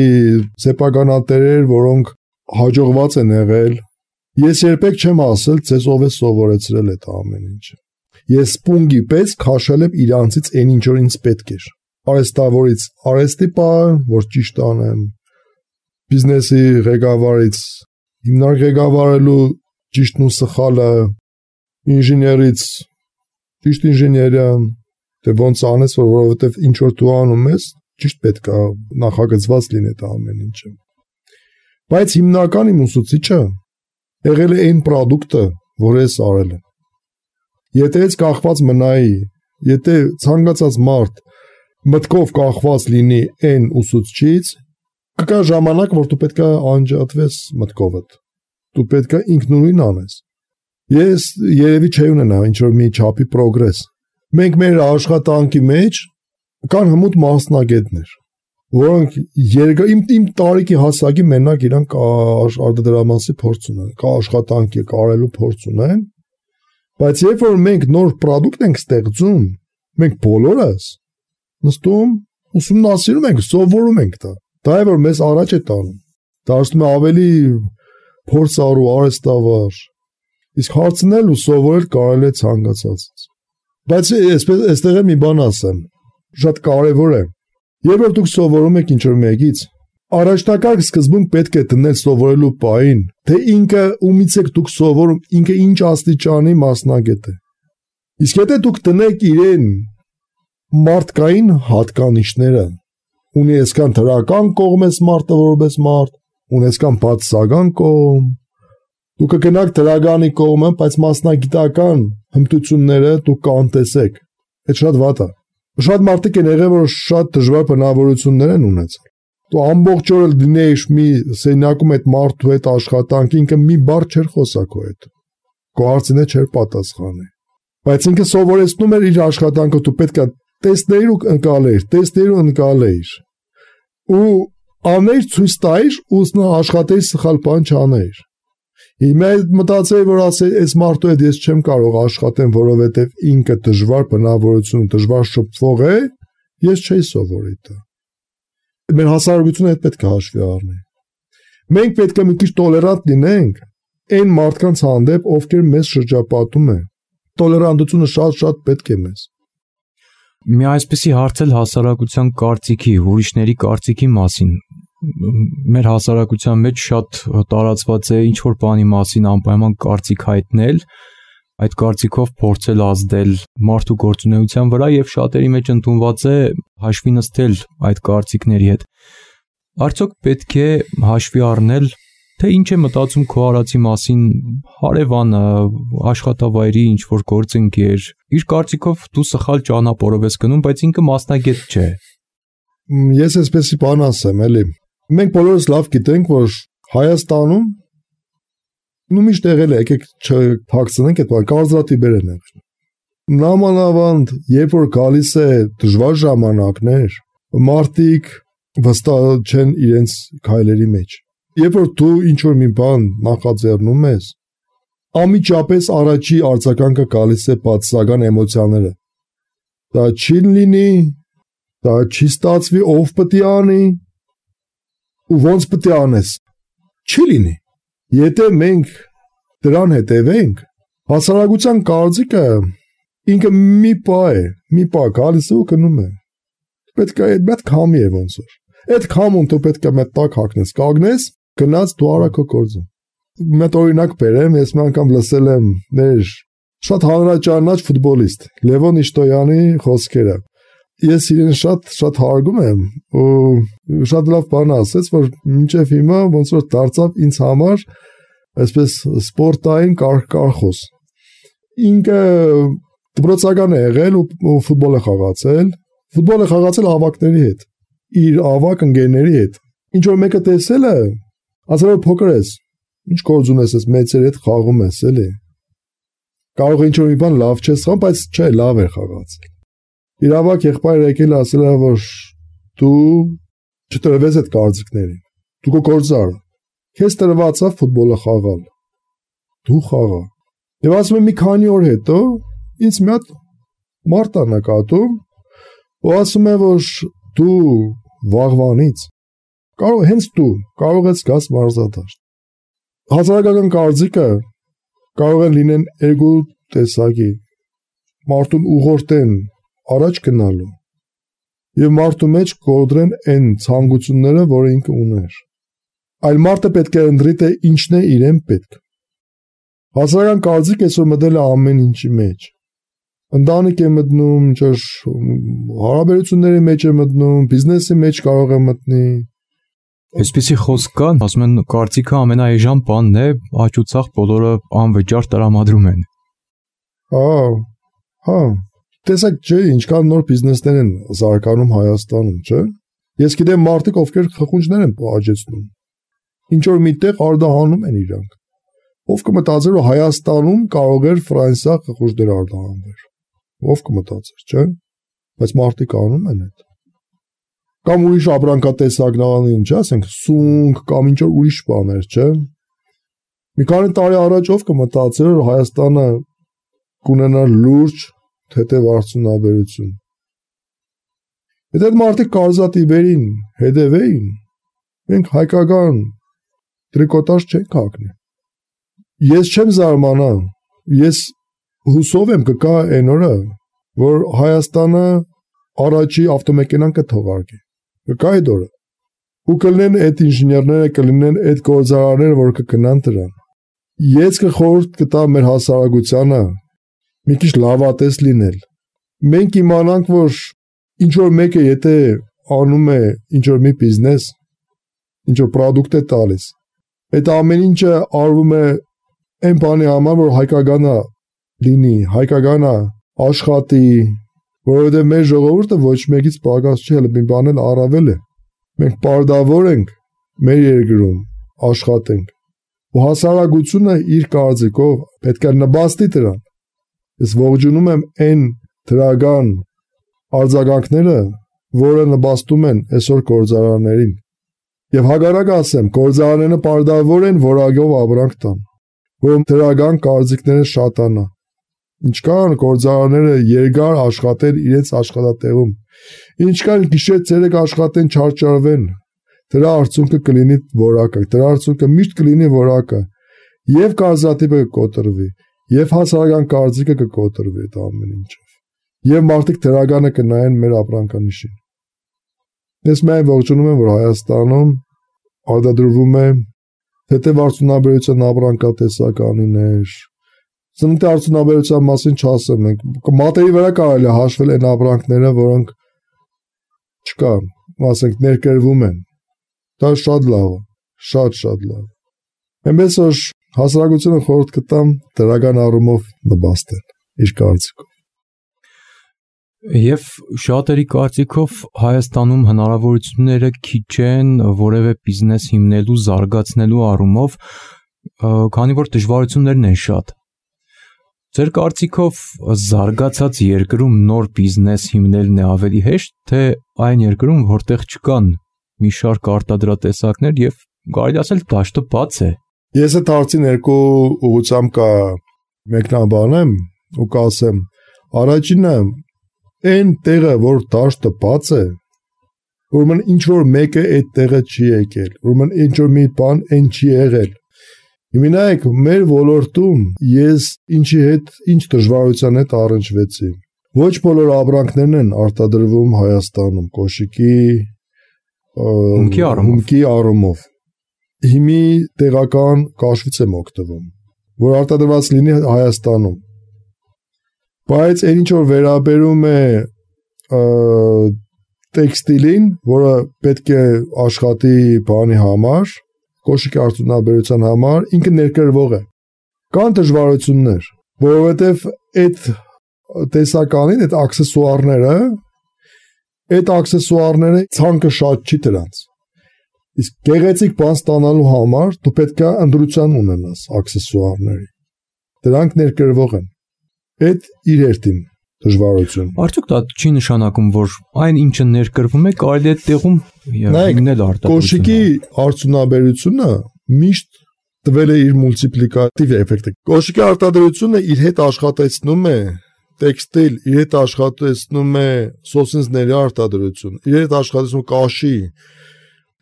սեփականատերեր, որոնք հաջողված են եղել։ Ես երբեք չեմ ասել, ձեզ ով է սովորեցրել այդ ամեն ինչը։ Ես սպունգի պես քաշել եմ իրանցից այն ինչ որ ինձ պետք էր։ Արհեստավորից արհեստի բան, որ ճիշտ անեմ, բիզնեսի ղեկավարից հիմնարկ ղեկավարելու ճիշտն ու սխալը, ինժեներից ճիշտ ինժեներիան, դե ոնց անես, որ որովհետև ինչ որ դու անում ես, ճիշտ պետք է նախագծված լինի այդ ամեն ինչը։ Բայց հիմնական իմ ուսուցիչը եղել է այն պրոդուկտը, որ ես արել եմ։ Եթե ես կախված մնայի, եթե ցանկացած մարդ մտքով կախված լինի այն ուսուցչից, կգա ժամանակ, որ դու պետք է անջատվես մտքովդ։ Դու պետք է ինքնուրույն անես։ Ես երևի չէի ունենա ինչ որ մի չափի պրոգրես։ Մենք մեր աշխատանքի մեջ կան հմուտ մասնագետներ, որոնք երկար իմ իմ տարիքի հասակի մենակ իրանք արտադրամասի փորձ ունեն, կա աշխատանքի կարելու փորձ ունեն, բայց երբ որ մենք նոր պրոդուկտ ենք ստեղծում, մենք բոլորս նստում, ուսումնասիրում ենք, սովորում ենք դա։ Դա է որ մեզ առաջ է տանում, դարձնում է ավելի փորձառու, արհեստավար։ Իսկ հարցնել ու սովորել կարելի է ցանկացածից։ Բայց այսպես այստեղ մի բան ասեմ, շատ կարևոր է։ Երբ որ դուք սովորում եք ինչ-որ մեկից, առաջնակարգ սկզբում պետք է դնել սովորելու պահին, թե ինքը ումից եք դուք սովորում, ինքը ինչ աստիճանի մասնագետ է։ Իսկ եթե դուք դնեք իրեն մարդկային հատկանիշները, ունի այսքան դրական կողմ ես մարդը որպես մարդ, ունի այսքան բացասական կողմ, դուք կգնաք դրականի կողմը, բայց մասնագիտական հմտությունները դուք կանտեսեք։ Այդ շատ վատ է։ Շատ մարդիկ են եղել, որ շատ դժվար բնավորություններ են ունեցել։ Դու ամբողջ օրը դնեиш մի սենյակում այդ մարդու հետ աշխատանք, ինքը մի բառ չէր խոսա քո հետ։ Քո հարցին չէր պատասխանի։ Բայց ինքը սովորեցնում էր իր աշխատանքը, դու պետք է տեսնեիր ու ընկալեիր, տեսնեիր ու ընկալեիր։ Ու աներ ցույց տայր, ու նա աշխատեի սխալ բան չաներ։ Հիմա մտածեի, որ ասեի, այս մարդու հետ ես չեմ կարող աշխատեմ, որովհետև ինքը դժվար բնավորություն, դժվար շփվող է, ես չէի սովորի դա։ Մեր հասարակությունը հետ պետք է հաշվի առնի։ Մենք պետք է մի քիչ տոլերանտ լինենք այն մարդկանց հանդեպ, ովքեր մեզ շրջապատում են։ Տոլերանտությունը շատ-շատ պետք է մեզ։ Մի այսպիսի հարց էլ հասարակության կարծիքի, ուրիշների կարծիքի մասին։ Մեր հասարակության մեջ շատ տարածված է ինչ-որ բանի մասին անպայման կարծիք հայտնել, այդ կարծիքով փորձել ազդել մարդու գործունեության վրա եւ շատերի մեջ ընդունված է հաշվի նստել այդ կարծիքների հետ։ Արդյոք պետք է հաշվի առնել, թե ինչ է մտածում քո արածի մասին հարևանը, աշխատավայրի ինչ-որ գործընկեր, իր կարծիքով դու սխալ ճանապարհով ես գնում, բայց ինքը մասնագետ չէ։ Ես այսպեսի բան ասեմ, էլի։ Մենք բոլորս լավ գիտենք, որ Հայաստանում ու միշտ եղել է, եկեք չթաքցնենք այդ բանը, կարծրատիպեր են եղել։ Նամանավանդ, երբ որ գալիս է դժվար ժամանակներ, մարդիկ վստահ չեն իրենց քայլերի մեջ։ Երբ որ դու ինչ-որ մի բան նախաձեռնում ես, անմիջապես առաջի արձագանքը գալիս է բացասական էմոցիաները։ Դա չի լինի, դա չի ստացվի, ով պետք է անի, ու ոնց պետք է անես։ Չի լինի։ Եթե մենք դրան հետևենք, հասարակության կարծիքը ինքը մի պա է, մի պա գալիս է ու գնում է։ Պետք է այդ մեծ քամի է ոնց որ։ Այդ քամուն դու պետք է մեծ տակ հագնես, կանգնես, գնաց դու արա քո գործը։ Մեծ օրինակ բերեմ, ես մի անգամ լսել եմ մեր շատ հանրաճանաչ ֆուտբոլիստ Լևոն Իշտոյանի խոսքերը։ Ես իրեն շատ շատ հարգում եմ ու շատ լավ բան ասեց, որ մինչև հիմա ոնց որ դարձավ ինձ համար այսպես սպորտային կարգախոս։ Ինքը դպրոցական է եղել ու ֆուտբոլ է խաղացել, ֆուտբոլ է խաղացել ավակների հետ, իր ավակ ընկերների հետ։ Ինչ որ մեկը տեսել է, ասել որ փոքր ես, ինչ գործ ունես, ես մեծերի հետ խաղում ես, էլի։ Կարող է ինչ որ մի բան լավ չես խաղում, բայց չէ, լավ է խաղացել։ Իր ավակ եղբայրը եկել ասել է, որ դու չտրվես այդ կարծիքներին, դու քո գործը արա, քեզ տրված է ֆուտբոլը խաղալ, դու խաղա։ Եվ ասում եմ մի քանի օր հետո ինձ մի հատ մարդ ա նկատում ու ասում է, որ դու վաղվանից կարող հենց դու կարող ես գաս մարզադաշտ։ Հասարակական կարծիքը կարող են լինեն էգո տեսակի, մարդուն ուղղորդեն առաջ գնալու եւ մարդու մեջ կորդրեն այն ցանկությունները, որ ինքը ուներ։ Այլ մարդը պետք է ընտրի թե ինչն է իրեն պետք։ Հասարակական կարծիքը այսօր մտել է ամեն ինչի մեջ։ Ընտանիք է մտնում, ճիշտ հարաբերությունների մեջ է մտնում, բիզնեսի մեջ կարող է մտնի։ Այսպիսի խոսք կա, ասում են կարծիքը ամենաէժան բանն է, աճուցախ բոլորը անվճար տրամադրում են։ Հա, հա։ Տեսեք, չէ, ինչքան նոր բիզնեսներ են զարգանում Հայաստանում, չէ։ Ես գիտեմ մարդիկ, ովքեր խխունջներ են աճեցնում։ Ինչ որ միտեղ արդահանում են իրանք։ Ով կմտածեր, որ Հայաստանում կարող էր Ֆրանսիա խխունջներ արդահանվել։ Ով կմտածեր, չէ։ Բայց մարդիկ անում են այդ։ Կամ ուրիշ ապրանքատեսակներ, ինչ ասենք, սունկ կամ ինչ որ ուրիշ բաներ, չէ։ Մի քանի տարի առաջ ով կմտածեր, որ Հայաստանը կունենա լուրջ թեթև արդյունաբերություն։ Եթե այդ մարդիկ կարծրատիպերին հետևեին, մենք հայկական տրիկոտաժ չենք հագնի։ Ես չեմ զարմանա, ես հուսով եմ կգա այն օրը, որ Հայաստանը առաջի ավտոմեքենան կթողարկի։ Կգա այդ օրը։ Ու կլինեն այդ ինժեներները, կլինեն այդ գործարարները, որ կգնան դրան։ Ես կխորհուրդ կտամ մեր հասարակությանը մի քիչ լավատես լինել։ Մենք իմանանք, որ ինչ որ մեկը եթե անում է ինչ որ մի բիզնես, ինչ որ պրոդուկտ է տալիս, այդ ամեն ինչը արվում է այն բանի համար, որ հայկագանը լինի, հայկագանը աշխատի, որովհետև մեր ժողովուրդը ոչ մեկից պակաս չի, հələ մի բան էլ առավել է։ Մենք պարտավոր ենք մեր երկրում աշխատենք։ Ու հասարակությունը իր կարծիքով պետք է նպաստի դրան։ Ես ողջունում եմ այն դրական արձագանքները, որը նպաստում են այսօր գործարաններին։ Եվ հակառակ ասեմ, գործարանները պարտավոր են որակով ապրանք տան, որ դրական կարծիքները շատանա։ Ինչքան գործարանները երկար աշխատեն իրենց աշխատատեղում, ինչքան գիշեր ցերեկ աշխատեն չարչարվեն, դրա արդյունքը կլինի որակը, դրա արդյունքը միշտ կլինի որակը, եւ կարծրատիպը կկոտրվի, եւ հասարակական կարծիքը կկոտրվի այդ ամեն ինչով, եւ մարդիկ դրականը կնայեն մեր ապրանքանիշին։ Ես միայն ողջունում եմ, որ Հայաստանում արտադրվում է թեթև արդյունաբերության ապրանքատեսականիներ, Սննդի արդյունաբերության մասին չասեմ, մենք մատերի վրա կարելի է հաշվել այն ապրանքները, որոնք չկան, ասենք ներկրվում են։ Դա շատ լավ է, շատ շատ լավ։ Այնպես որ հասարակությունը խորհուրդ կտամ դրական առումով նպաստել իր կարծիքով։ Եվ շատերի կարծիքով Հայաստանում հնարավորությունները քիչ են որևէ բիզնես հիմնելու, զարգացնելու առումով, քանի որ դժվարություններն են շատ։ Ձեր կարծիքով զարգացած երկրում նոր բիզնես հիմնելն է ավելի հեշտ, թե այն երկրում, որտեղ չկան մի շարք արտադրատեսակներ եւ կարելի ասել դաշտը բաց է։ Ես այդ հարցին երկու ուղղությամբ կա մեկնաբանեմ ու կասեմ, առաջինը այն տեղը, որ դաշտը բաց է, ուրեմն ինչ որ մեկը այդ տեղը չի եկել, ուրեմն ինչ որ մի բան այն չի եղել։ Հիմնայք մեր ոլորտում ես ինչի հետ ինչ դժվարության հետ առնչվեցի։ Ոչ բոլոր ապրանքներն են արտադրվում Հայաստանում, կոշիկի, հումքի առումով։ Հիմի տեղական կաշվից եմ օգտվում, որ արտադրված լինի Հայաստանում։ Բայց այն ինչ որ վերաբերում է տեքստիլին, որը պետք է աշխատի բանի համար, կոշիկի արդյունաբերության համար, ինքը ներկրվող է։ Կան դժվարություններ, որովհետև այդ տեսականին, այդ աքսեսուարները, այդ աքսեսուարները ցանկը շատ չի դրանց։ Իսկ գեղեցիկ բան ստանալու համար դու պետք է ընտրություն ունենաս աքսեսուարների։ Դրանք ներկրվող են։ Այդ իր հերթին դժվարություն։ Արդյոք դա չի նշանակում, որ այն ինչը ներկրվում է, կարելի է տեղում հիմնել արտադրությունը։ Կոշիկի արդյունաբերությունը միշտ տվել է իր մուլտիպլիկատիվ էֆեկտը։ Կոշիկի արտադրությունը իր հետ աշխատեցնում է տեքստիլ, իր հետ աշխատեցնում է սոսինձների արտադրություն, իր հետ աշխատեցնում կաշի,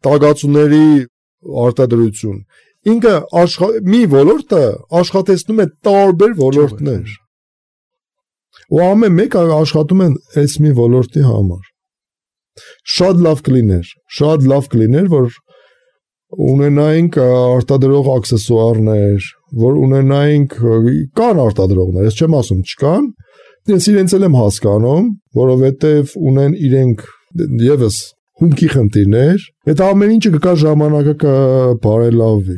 տագածուների արտադրություն։ Ինքը մի ոլորտը աշխատեցնում է տարբեր ոլորտներ։ Ու ամեն մեկը աշխատում են այս մի ոլորտի համար։ Շատ լավ կլիներ, շատ լավ կլիներ, որ ունենայինք արտադրող աքսեսուարներ, որ ունենայինք կան արտադրողներ, ես չեմ ասում չկան, ես իրենց էլ եմ հասկանում, որովհետև ունեն իրենք եւս հումքի խնդիրներ, այդ ամեն ինչը կկա ժամանակը կբարելավվի։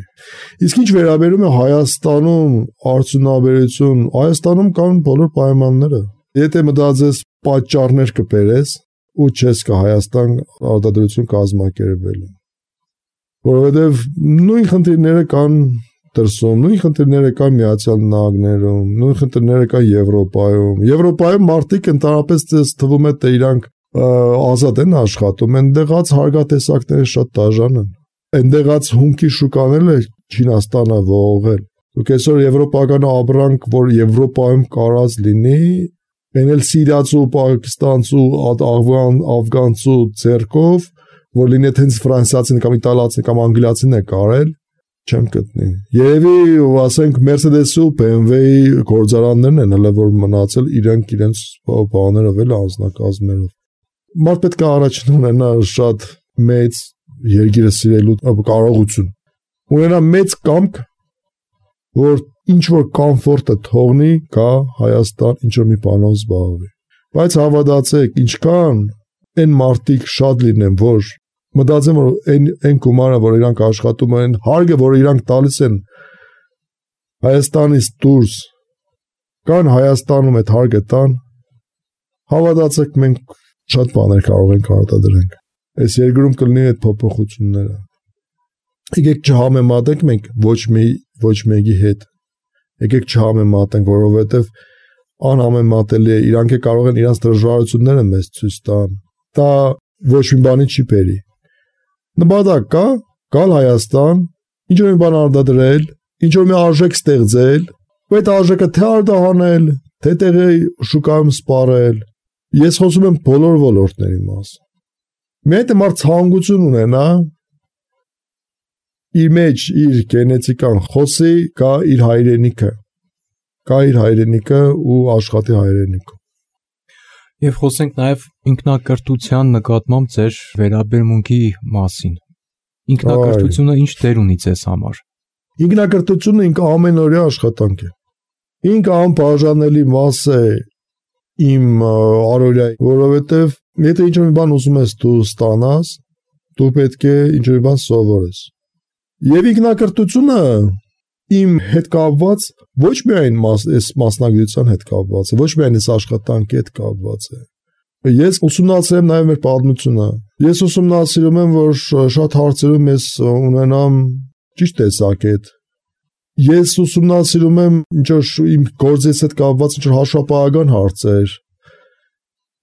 Իսկ ինչ վերաբերում է Հայաստանում արդյունաբերություն, Հայաստանում կան բոլոր պայմանները։ Եթե մտածես պատճառներ կբերես, ու չես կա Հայաստան արտադրություն կազմակերպելու։ Որովհետև նույն խնդիրները կան դրսում, նույն խնդիրները կան Միացյալ Նահանգներում, նույն խնդիրները կան Եվրոպայում։ Եվրոպայում մարդիկ ընդհանրապես թվում է թե իրանք ազատ են աշխատում, այնտեղած հարգատեսակները շատ դաժան են։ Այնտեղած հումքի շուկաները Չինաստանը ողողել։ Դուք այսօր եվրոպական ապրանք, որ Եվրոպայում կարած լինի, այն էլ սիրիացու, պակիստանցու, աղվան, աֆգանցու ձեռքով, որ լինի հենց ֆրանսիացին կամ իտալացին կամ անգլիացին է կարել, չեմ գտնի։ Երևի ասենք Mercedes-ի ու B M W-ի գործարաններն են հələ որ մնացել իրենք իրենց բաներով էլ անձնակազմերով։ Մարդ պետք է առաջին ունենա շատ մեծ երկիրը սիրելու կարողություն։ Ունենա մեծ կամք, որ ինչ որ կոմֆորտը թողնի գա Հայաստան ինչ որ մի բանով զբաղվի։ Բայց հավատացեք, ինչքան այն մարդիկ շատ լինեն, որ մտածեմ որ այն այն գումարը, որ իրանք աշխատում են, հարգը, որ իրանք տալիս են Հայաստանից դուրս, կան Հայաստանում այդ հարգը տան, հավատացեք մենք շատ բաներ կարող ենք արտադրենք։ այս երկրում կլինի այդ փոփոխությունները։ Եկեք չհամեմատենք մենք ոչ մի ոչ մեկի հետ։ Եկեք չհամեմատենք, որովհետև անհամեմատելի է, իրանք է կարող են իրանց դժվարությունները մեզ ցույց տան։ Դա ոչ մի բանի չի բերի։ Նպատակ կա, գալ Հայաստան, ինչ որ մի բան արտադրել, ինչ որ մի արժեք ստեղծել, ու այդ արժեքը թե արտահանել, թե տեղի շուկայում սպառել։ Ես խոսում եմ բոլոր ոլորտների մասին։ Մի այդ մարդ ցանկություն ունենա իր մեջ իր գենետիկան խոսի, կա իր հայրենիքը, կա իր հայրենիքը ու աշխատի հայրենիքը։ Եվ խոսենք նաև ինքնակրթության նկատմամբ ձեր վերաբերմունքի մասին։ Ինքնակրթությունը ինչ դեր ունի ձեզ համար։ Ինքնակրթությունը ինքը ամենօրյա աշխատանք է։ Ինքը անբաժանելի մաս է իմ առօրյայի, որովհետև եթե ինչ-որ մի բան ուզում ես դու ստանաս, դու պետք է ինչ-որ մի բան սովորես։ Եվ ինքնակրթությունը իմ հետ կապված ոչ միայն այս մասնագիտության հետ կապված է, ոչ միայն այս աշխատանքի հետ կապված է։ Ես ուսումնասիրել եմ նաև մեր պատմությունը։ Ես ուսումնասիրում եմ, որ շատ հարցերում ես ունենամ ճիշտ տեսակետ։ Ես ուսումնասիրում եմ ինչ որ իմ գործից հետ կապված ինչ որ հաշվապահական հարցեր,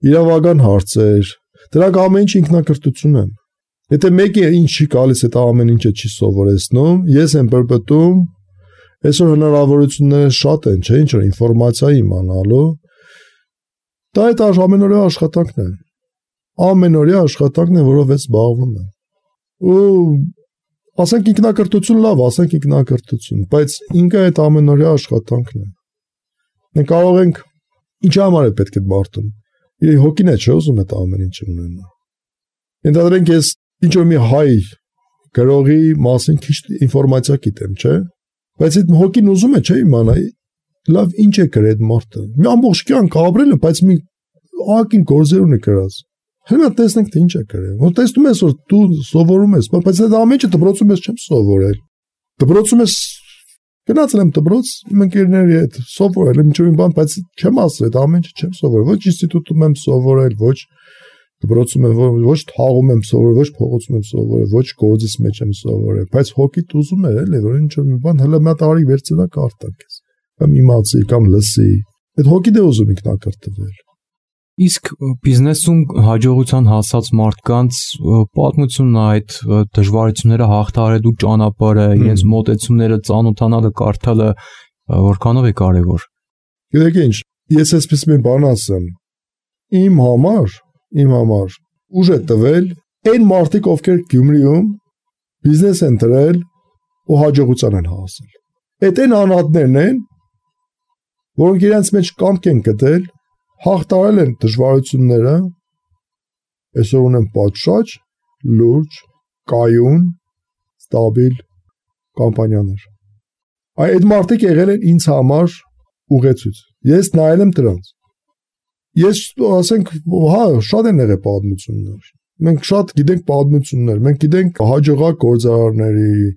իրավական հարցեր, դրանք ամեն ինչ ինքնակրթություն են։ Եթե մեկը ինչ չի գալիս, այդ ամեն ինչը չի սովորեցնում, ես եմ բրբտում, այսօր հնարավորությունները շատ են, չէ՞, ինչ որ ինֆորմացիա իմանալու։ Դա այդ ամենօրյա աշխատանքն է։ Ամենօրյա աշխատանքն է, որով ես զբաղվում եմ։ Ու ասենք ինքնակրթություն լավ, ասենք ինքնակրթություն, բայց ինքը այդ ամենօրյա աշխատանքն է։ Մենք կարող ենք ինչ համար է պետք է մարդուն։ Իր հոգին է չէ՞ ուզում այդ ամեն ինչը ունենա։ Ենթադրենք ես ինչ որ մի հայ գրողի մասին քիչ ինֆորմացիա գիտեմ, չէ՞։ Բայց այդ հոգին ուզում է չէ՞ իմանա, լավ ինչ է գրել այդ մարդը։ Մի ամբողջ կյանք ապրել է, բայց մի ակին գործեր ունի գրած։ Հիմա տեսնենք թե ինչ է գրել։ Որ տեսնում ես որ դու սովորում ես, բայց այդ ամեն ինչը դպրոցում ես չեմ սովորել։ Դպրոցում ես գնացել եմ դպրոց իմ ընկերների հետ, սովորել եմ ինչ-որ մի բան, բայց չեմ ասել, այդ ամեն ինչը չեմ սովորել։ Ոչ ինստիտուտում եմ սովորել, ոչ դպրոցում եմ, ոչ թաղում եմ սովորել, ոչ փողոցում եմ սովորել, ոչ գործից մեջ եմ սովորել, բայց հոգիդ ուզում է, էլի, որ ինչ-որ մի բան հələ մի տարի վերցնա կարտանքես։ Կամ իմացի, կամ լսի։ Այդ հոգիդ է ուզում ինքնակրթվել։ Իսկ բիզնեսում հաջողության հասած մարդկանց պատմությունն այդ դժվարությունները հաղթահարելու ճանապարհը, իրենց մոտեցումները ծանոթանալը, կարդալը որքանով է կարևոր։ Գիտեք ինչ, ես այսպես մի բան ասեմ։ Իմ համար, իմ համար ուժ է տվել այն մարդիկ, ովքեր Գյումրիում բիզնես են դրել ու հաջողության են հասել։ Այդ այն անհատներն են, որոնք իրենց մեջ կամք են գտել, հաղթահարել են դժվարությունները, այսօր ունեն պատշաճ, լուրջ, կայուն, ստաբիլ կամպանիաներ։ Այդ մարդիկ եղել են ինձ համար ուղեցույց։ Ես նայել եմ դրանց։ Ես ասենք, հա, շատ են եղել պատմություններ։ Մենք շատ գիտենք պատմություններ, մենք գիտենք հաջողակ գործարարների,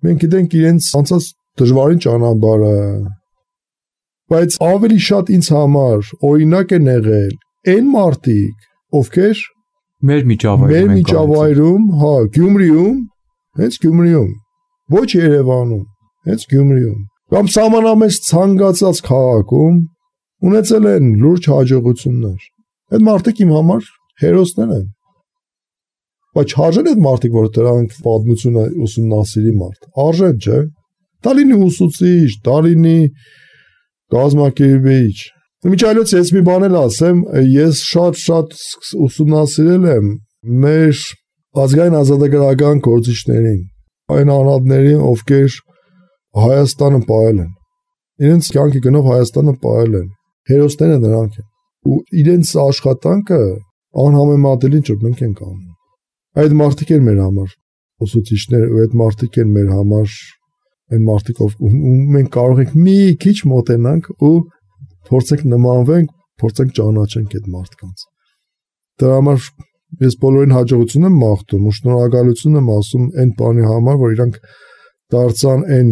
մենք գիտենք իրենց անցած դժվարին ճանապարհը։ Բայց ավելի շատ ինձ համար օրինակ են եղել այն մարդիկ, ովքեր մեր միջավայրում, մեր միջավայրում, հա, Գյումրիում, հենց Գյումրիում, ոչ Երևանում, հենց Գյումրիում, կամ սահմանամերձ ցանկացած քաղաքում ունեցել են լուրջ հաջողություններ։ Այդ մարդիկ իմ համար հերոսներ են։ Բայց արժեն այդ մարդիկ, որ դրանք պատմությունը ուսումնասիրի մարդ։ Արժեն, չէ՞։ Դա լինի ուսուցիչ, դա լինի գազམ་ակերպիչ։ Միջայլոց ես մի բան էլ ասեմ, ես շատ-շատ ուսումնասիրել եմ մեր ազգային ազատագրական գործիչներին, այն անհատներին, ովքեր Հայաստանը պահել են։ Իրենց կյանքի գնով Հայաստանը պահել են։ Հերոսները նրանք են։ Ու իրենց աշխատանքը անհամեմատելի ինչ որ մենք ենք անում։ Այդ մարդիկ են մեր համար ուսուցիչներ, ու այդ մարդիկ են մեր համար այն մարդիկ, ով մենք կարող ենք մի քիչ մոտենանք ու փորձենք նմանվենք, փորձենք ճանաչենք այդ մարդկանց։ Դրա համար ես բոլորին հաջողություն եմ մաղթում ու շնորհակալություն եմ ասում այն բանի համար, որ իրանք դարձան այն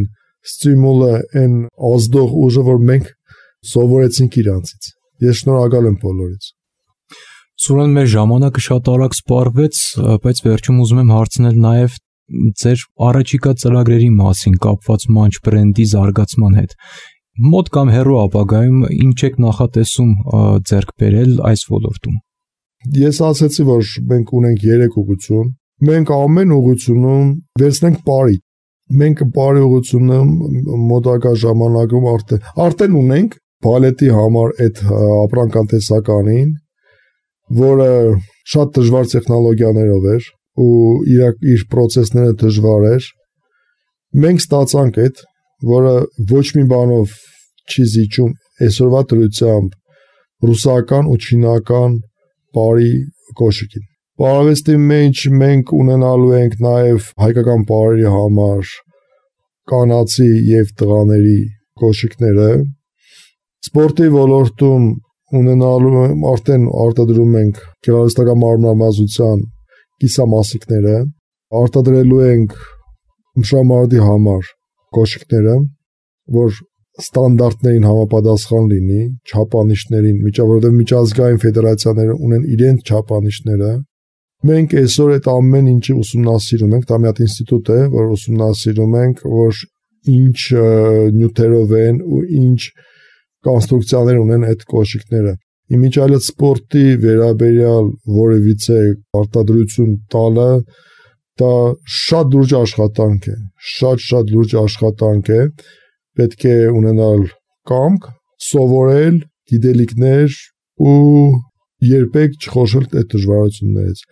ստիմուլը, այն ազդող ուժը, որ մենք սովորեցինք իրանցից։ Ես շնորհակալ եմ բոլորից։ Սուրեն, մեր ժամանակը շատ արագ սպառվեց, բայց վերջում ուզում եմ հարցնել նաև ձեր առաջիկա ծրագրերի մասին կապված Munch բրենդի զարգացման հետ։ Մոտ կամ հեռու ապագայում ինչ եք նախատեսում ձեռք բերել այս ոլորտում։ Ես ասացի, որ մենք ունենք երեք ուղղություն։ Մենք ամեն ուղղությունում վերցնենք բարի։ Մենք բարի ուղղությունը մոտակա ժամանակում արդեն արդեն ունենք բալետի համար այդ ապրանքատեսականին, որը շատ դժվար տեխնոլոգիաներով էր ու իր իր process-ները դժվար էր։ Մենք ստացանք այդ, որը ոչ մի բանով չի զիջում այսօրվա դրությամբ ռուսական ու չինական բարի կոշիկին։ Բարավեստի մեջ մենք ունենալու ենք նաև հայկական բարերի համար կանացի եւ տղաների կոշիկները։ Սպորտի ոլորտում ունենալու արդեն արտադրում ենք գեղարվեստական մարմնամազության կիսամասիկները, արտադրելու ենք մշամարտի համար կոշիկները, որ ստանդարտներին համապատասխան լինի, չափանիշներին, միջավայրով միջազգային ֆեդերացիաները ունեն իրենց չափանիշները։ Մենք այսօր այդ ամեն ինչի ուսումնասիրում ենք, դա մի հատ ինստիտուտ է, որ ուսումնասիրում ենք, որ ինչ նյութերով են ու ինչ կոնստրուկցիաներ ունեն այդ կոշիկները։ Իմիջիալը սպորտի վերաբերյալ որևիցե արտադրություն տալը դա շատ լուրջ աշխատանք է, շատ-շատ լուրջ աշխատանք է, պետք է ունենալ կամք, սովորել, գիտելիքներ ու երբեք չխոշել այդ դժվարություններից։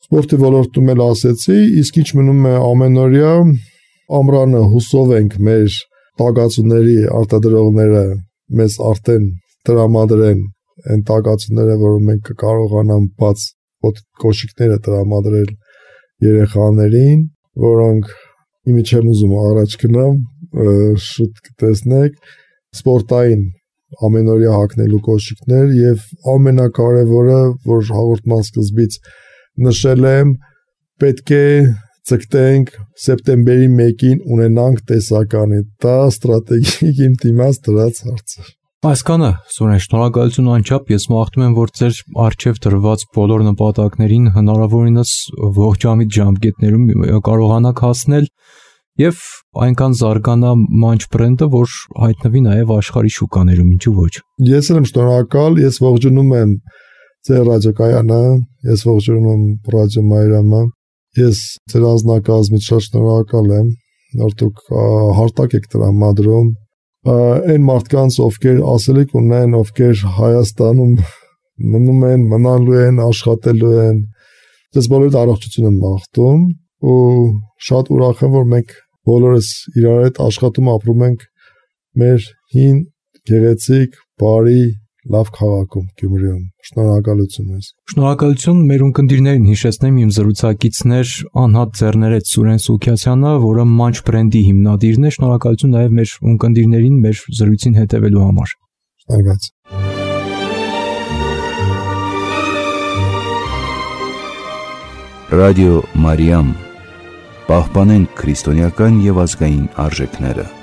Սպորտի ոլորտում էլ ասեցի, իսկ ինչ մնում է ամենօրյա ամռանը հուսով ենք մեր տակածուների արտադրողները մեզ արդեն տրամադրեն այն տակածուները, որը մենք կկարողանամ բաց կոշիկները տրամադրել երեխաներին, որոնք իմի չեմ ուզում առաջ գնամ, շուտ կտեսնեք, սպորտային ամենօրյա հագնելու կոշիկներ եւ ամենակարևորը, որ հաղորդման սկզբից նշել եմ, պետք է ցկտենք սեպտեմբերի մեկին ունենանք տեսականի։ Դա ստրատեգիկ իմ դիմաց դրած հարցը։ Այսքանը, Սուրեն, շնորհակալություն անչափ, ես մաղթում եմ, որ ձեր առջև դրված բոլոր նպատակներին հնարավորինս ողջամիտ ժամկետներում կարողանաք հասնել եւ այնքան զարգանա Munch բրենդը, որ հայտնվի նաեւ աշխարհի շուկաներում, ինչու ոչ։ Ես եմ շնորհակալ, ես ողջունում եմ ձեր ռադիոկայանը, ես ողջունում եմ ռադիո Մայրամը, ես ձեր անձնակազմից շատ շնորհակալ եմ, որ դուք հարթակ եք տրամադրում այն մարդկանց, ովքեր ասելիք ունեն, ովքեր Հայաստանում մնում են, մնալու են, աշխատելու են, ես բոլորիդ առողջություն եմ մաղթում ու շատ ուրախ եմ, որ մենք բոլորս իրար հետ աշխատում ապրում ենք մեր հին, գեղեցիկ, բարի, լավ քաղաքում, Գյումրիում։ Շնորհակալություն մեզ։ Շնորհակալություն մեր ունկնդիրներին, հիշեցնեմ իմ զրուցակիցներ Անհատ Ձեռներեց Սուրեն Սուքիասյանը, որը Munch բրենդի հիմնադիրն է։ Շնորհակալություն նաև մեր ունկնդիրներին մեր զրույցին հետևելու համար։ Շնորհակալություն։ Ռադիո Մարիամ, պահպանենք քրիստոնեական եւ ազգային արժեքները։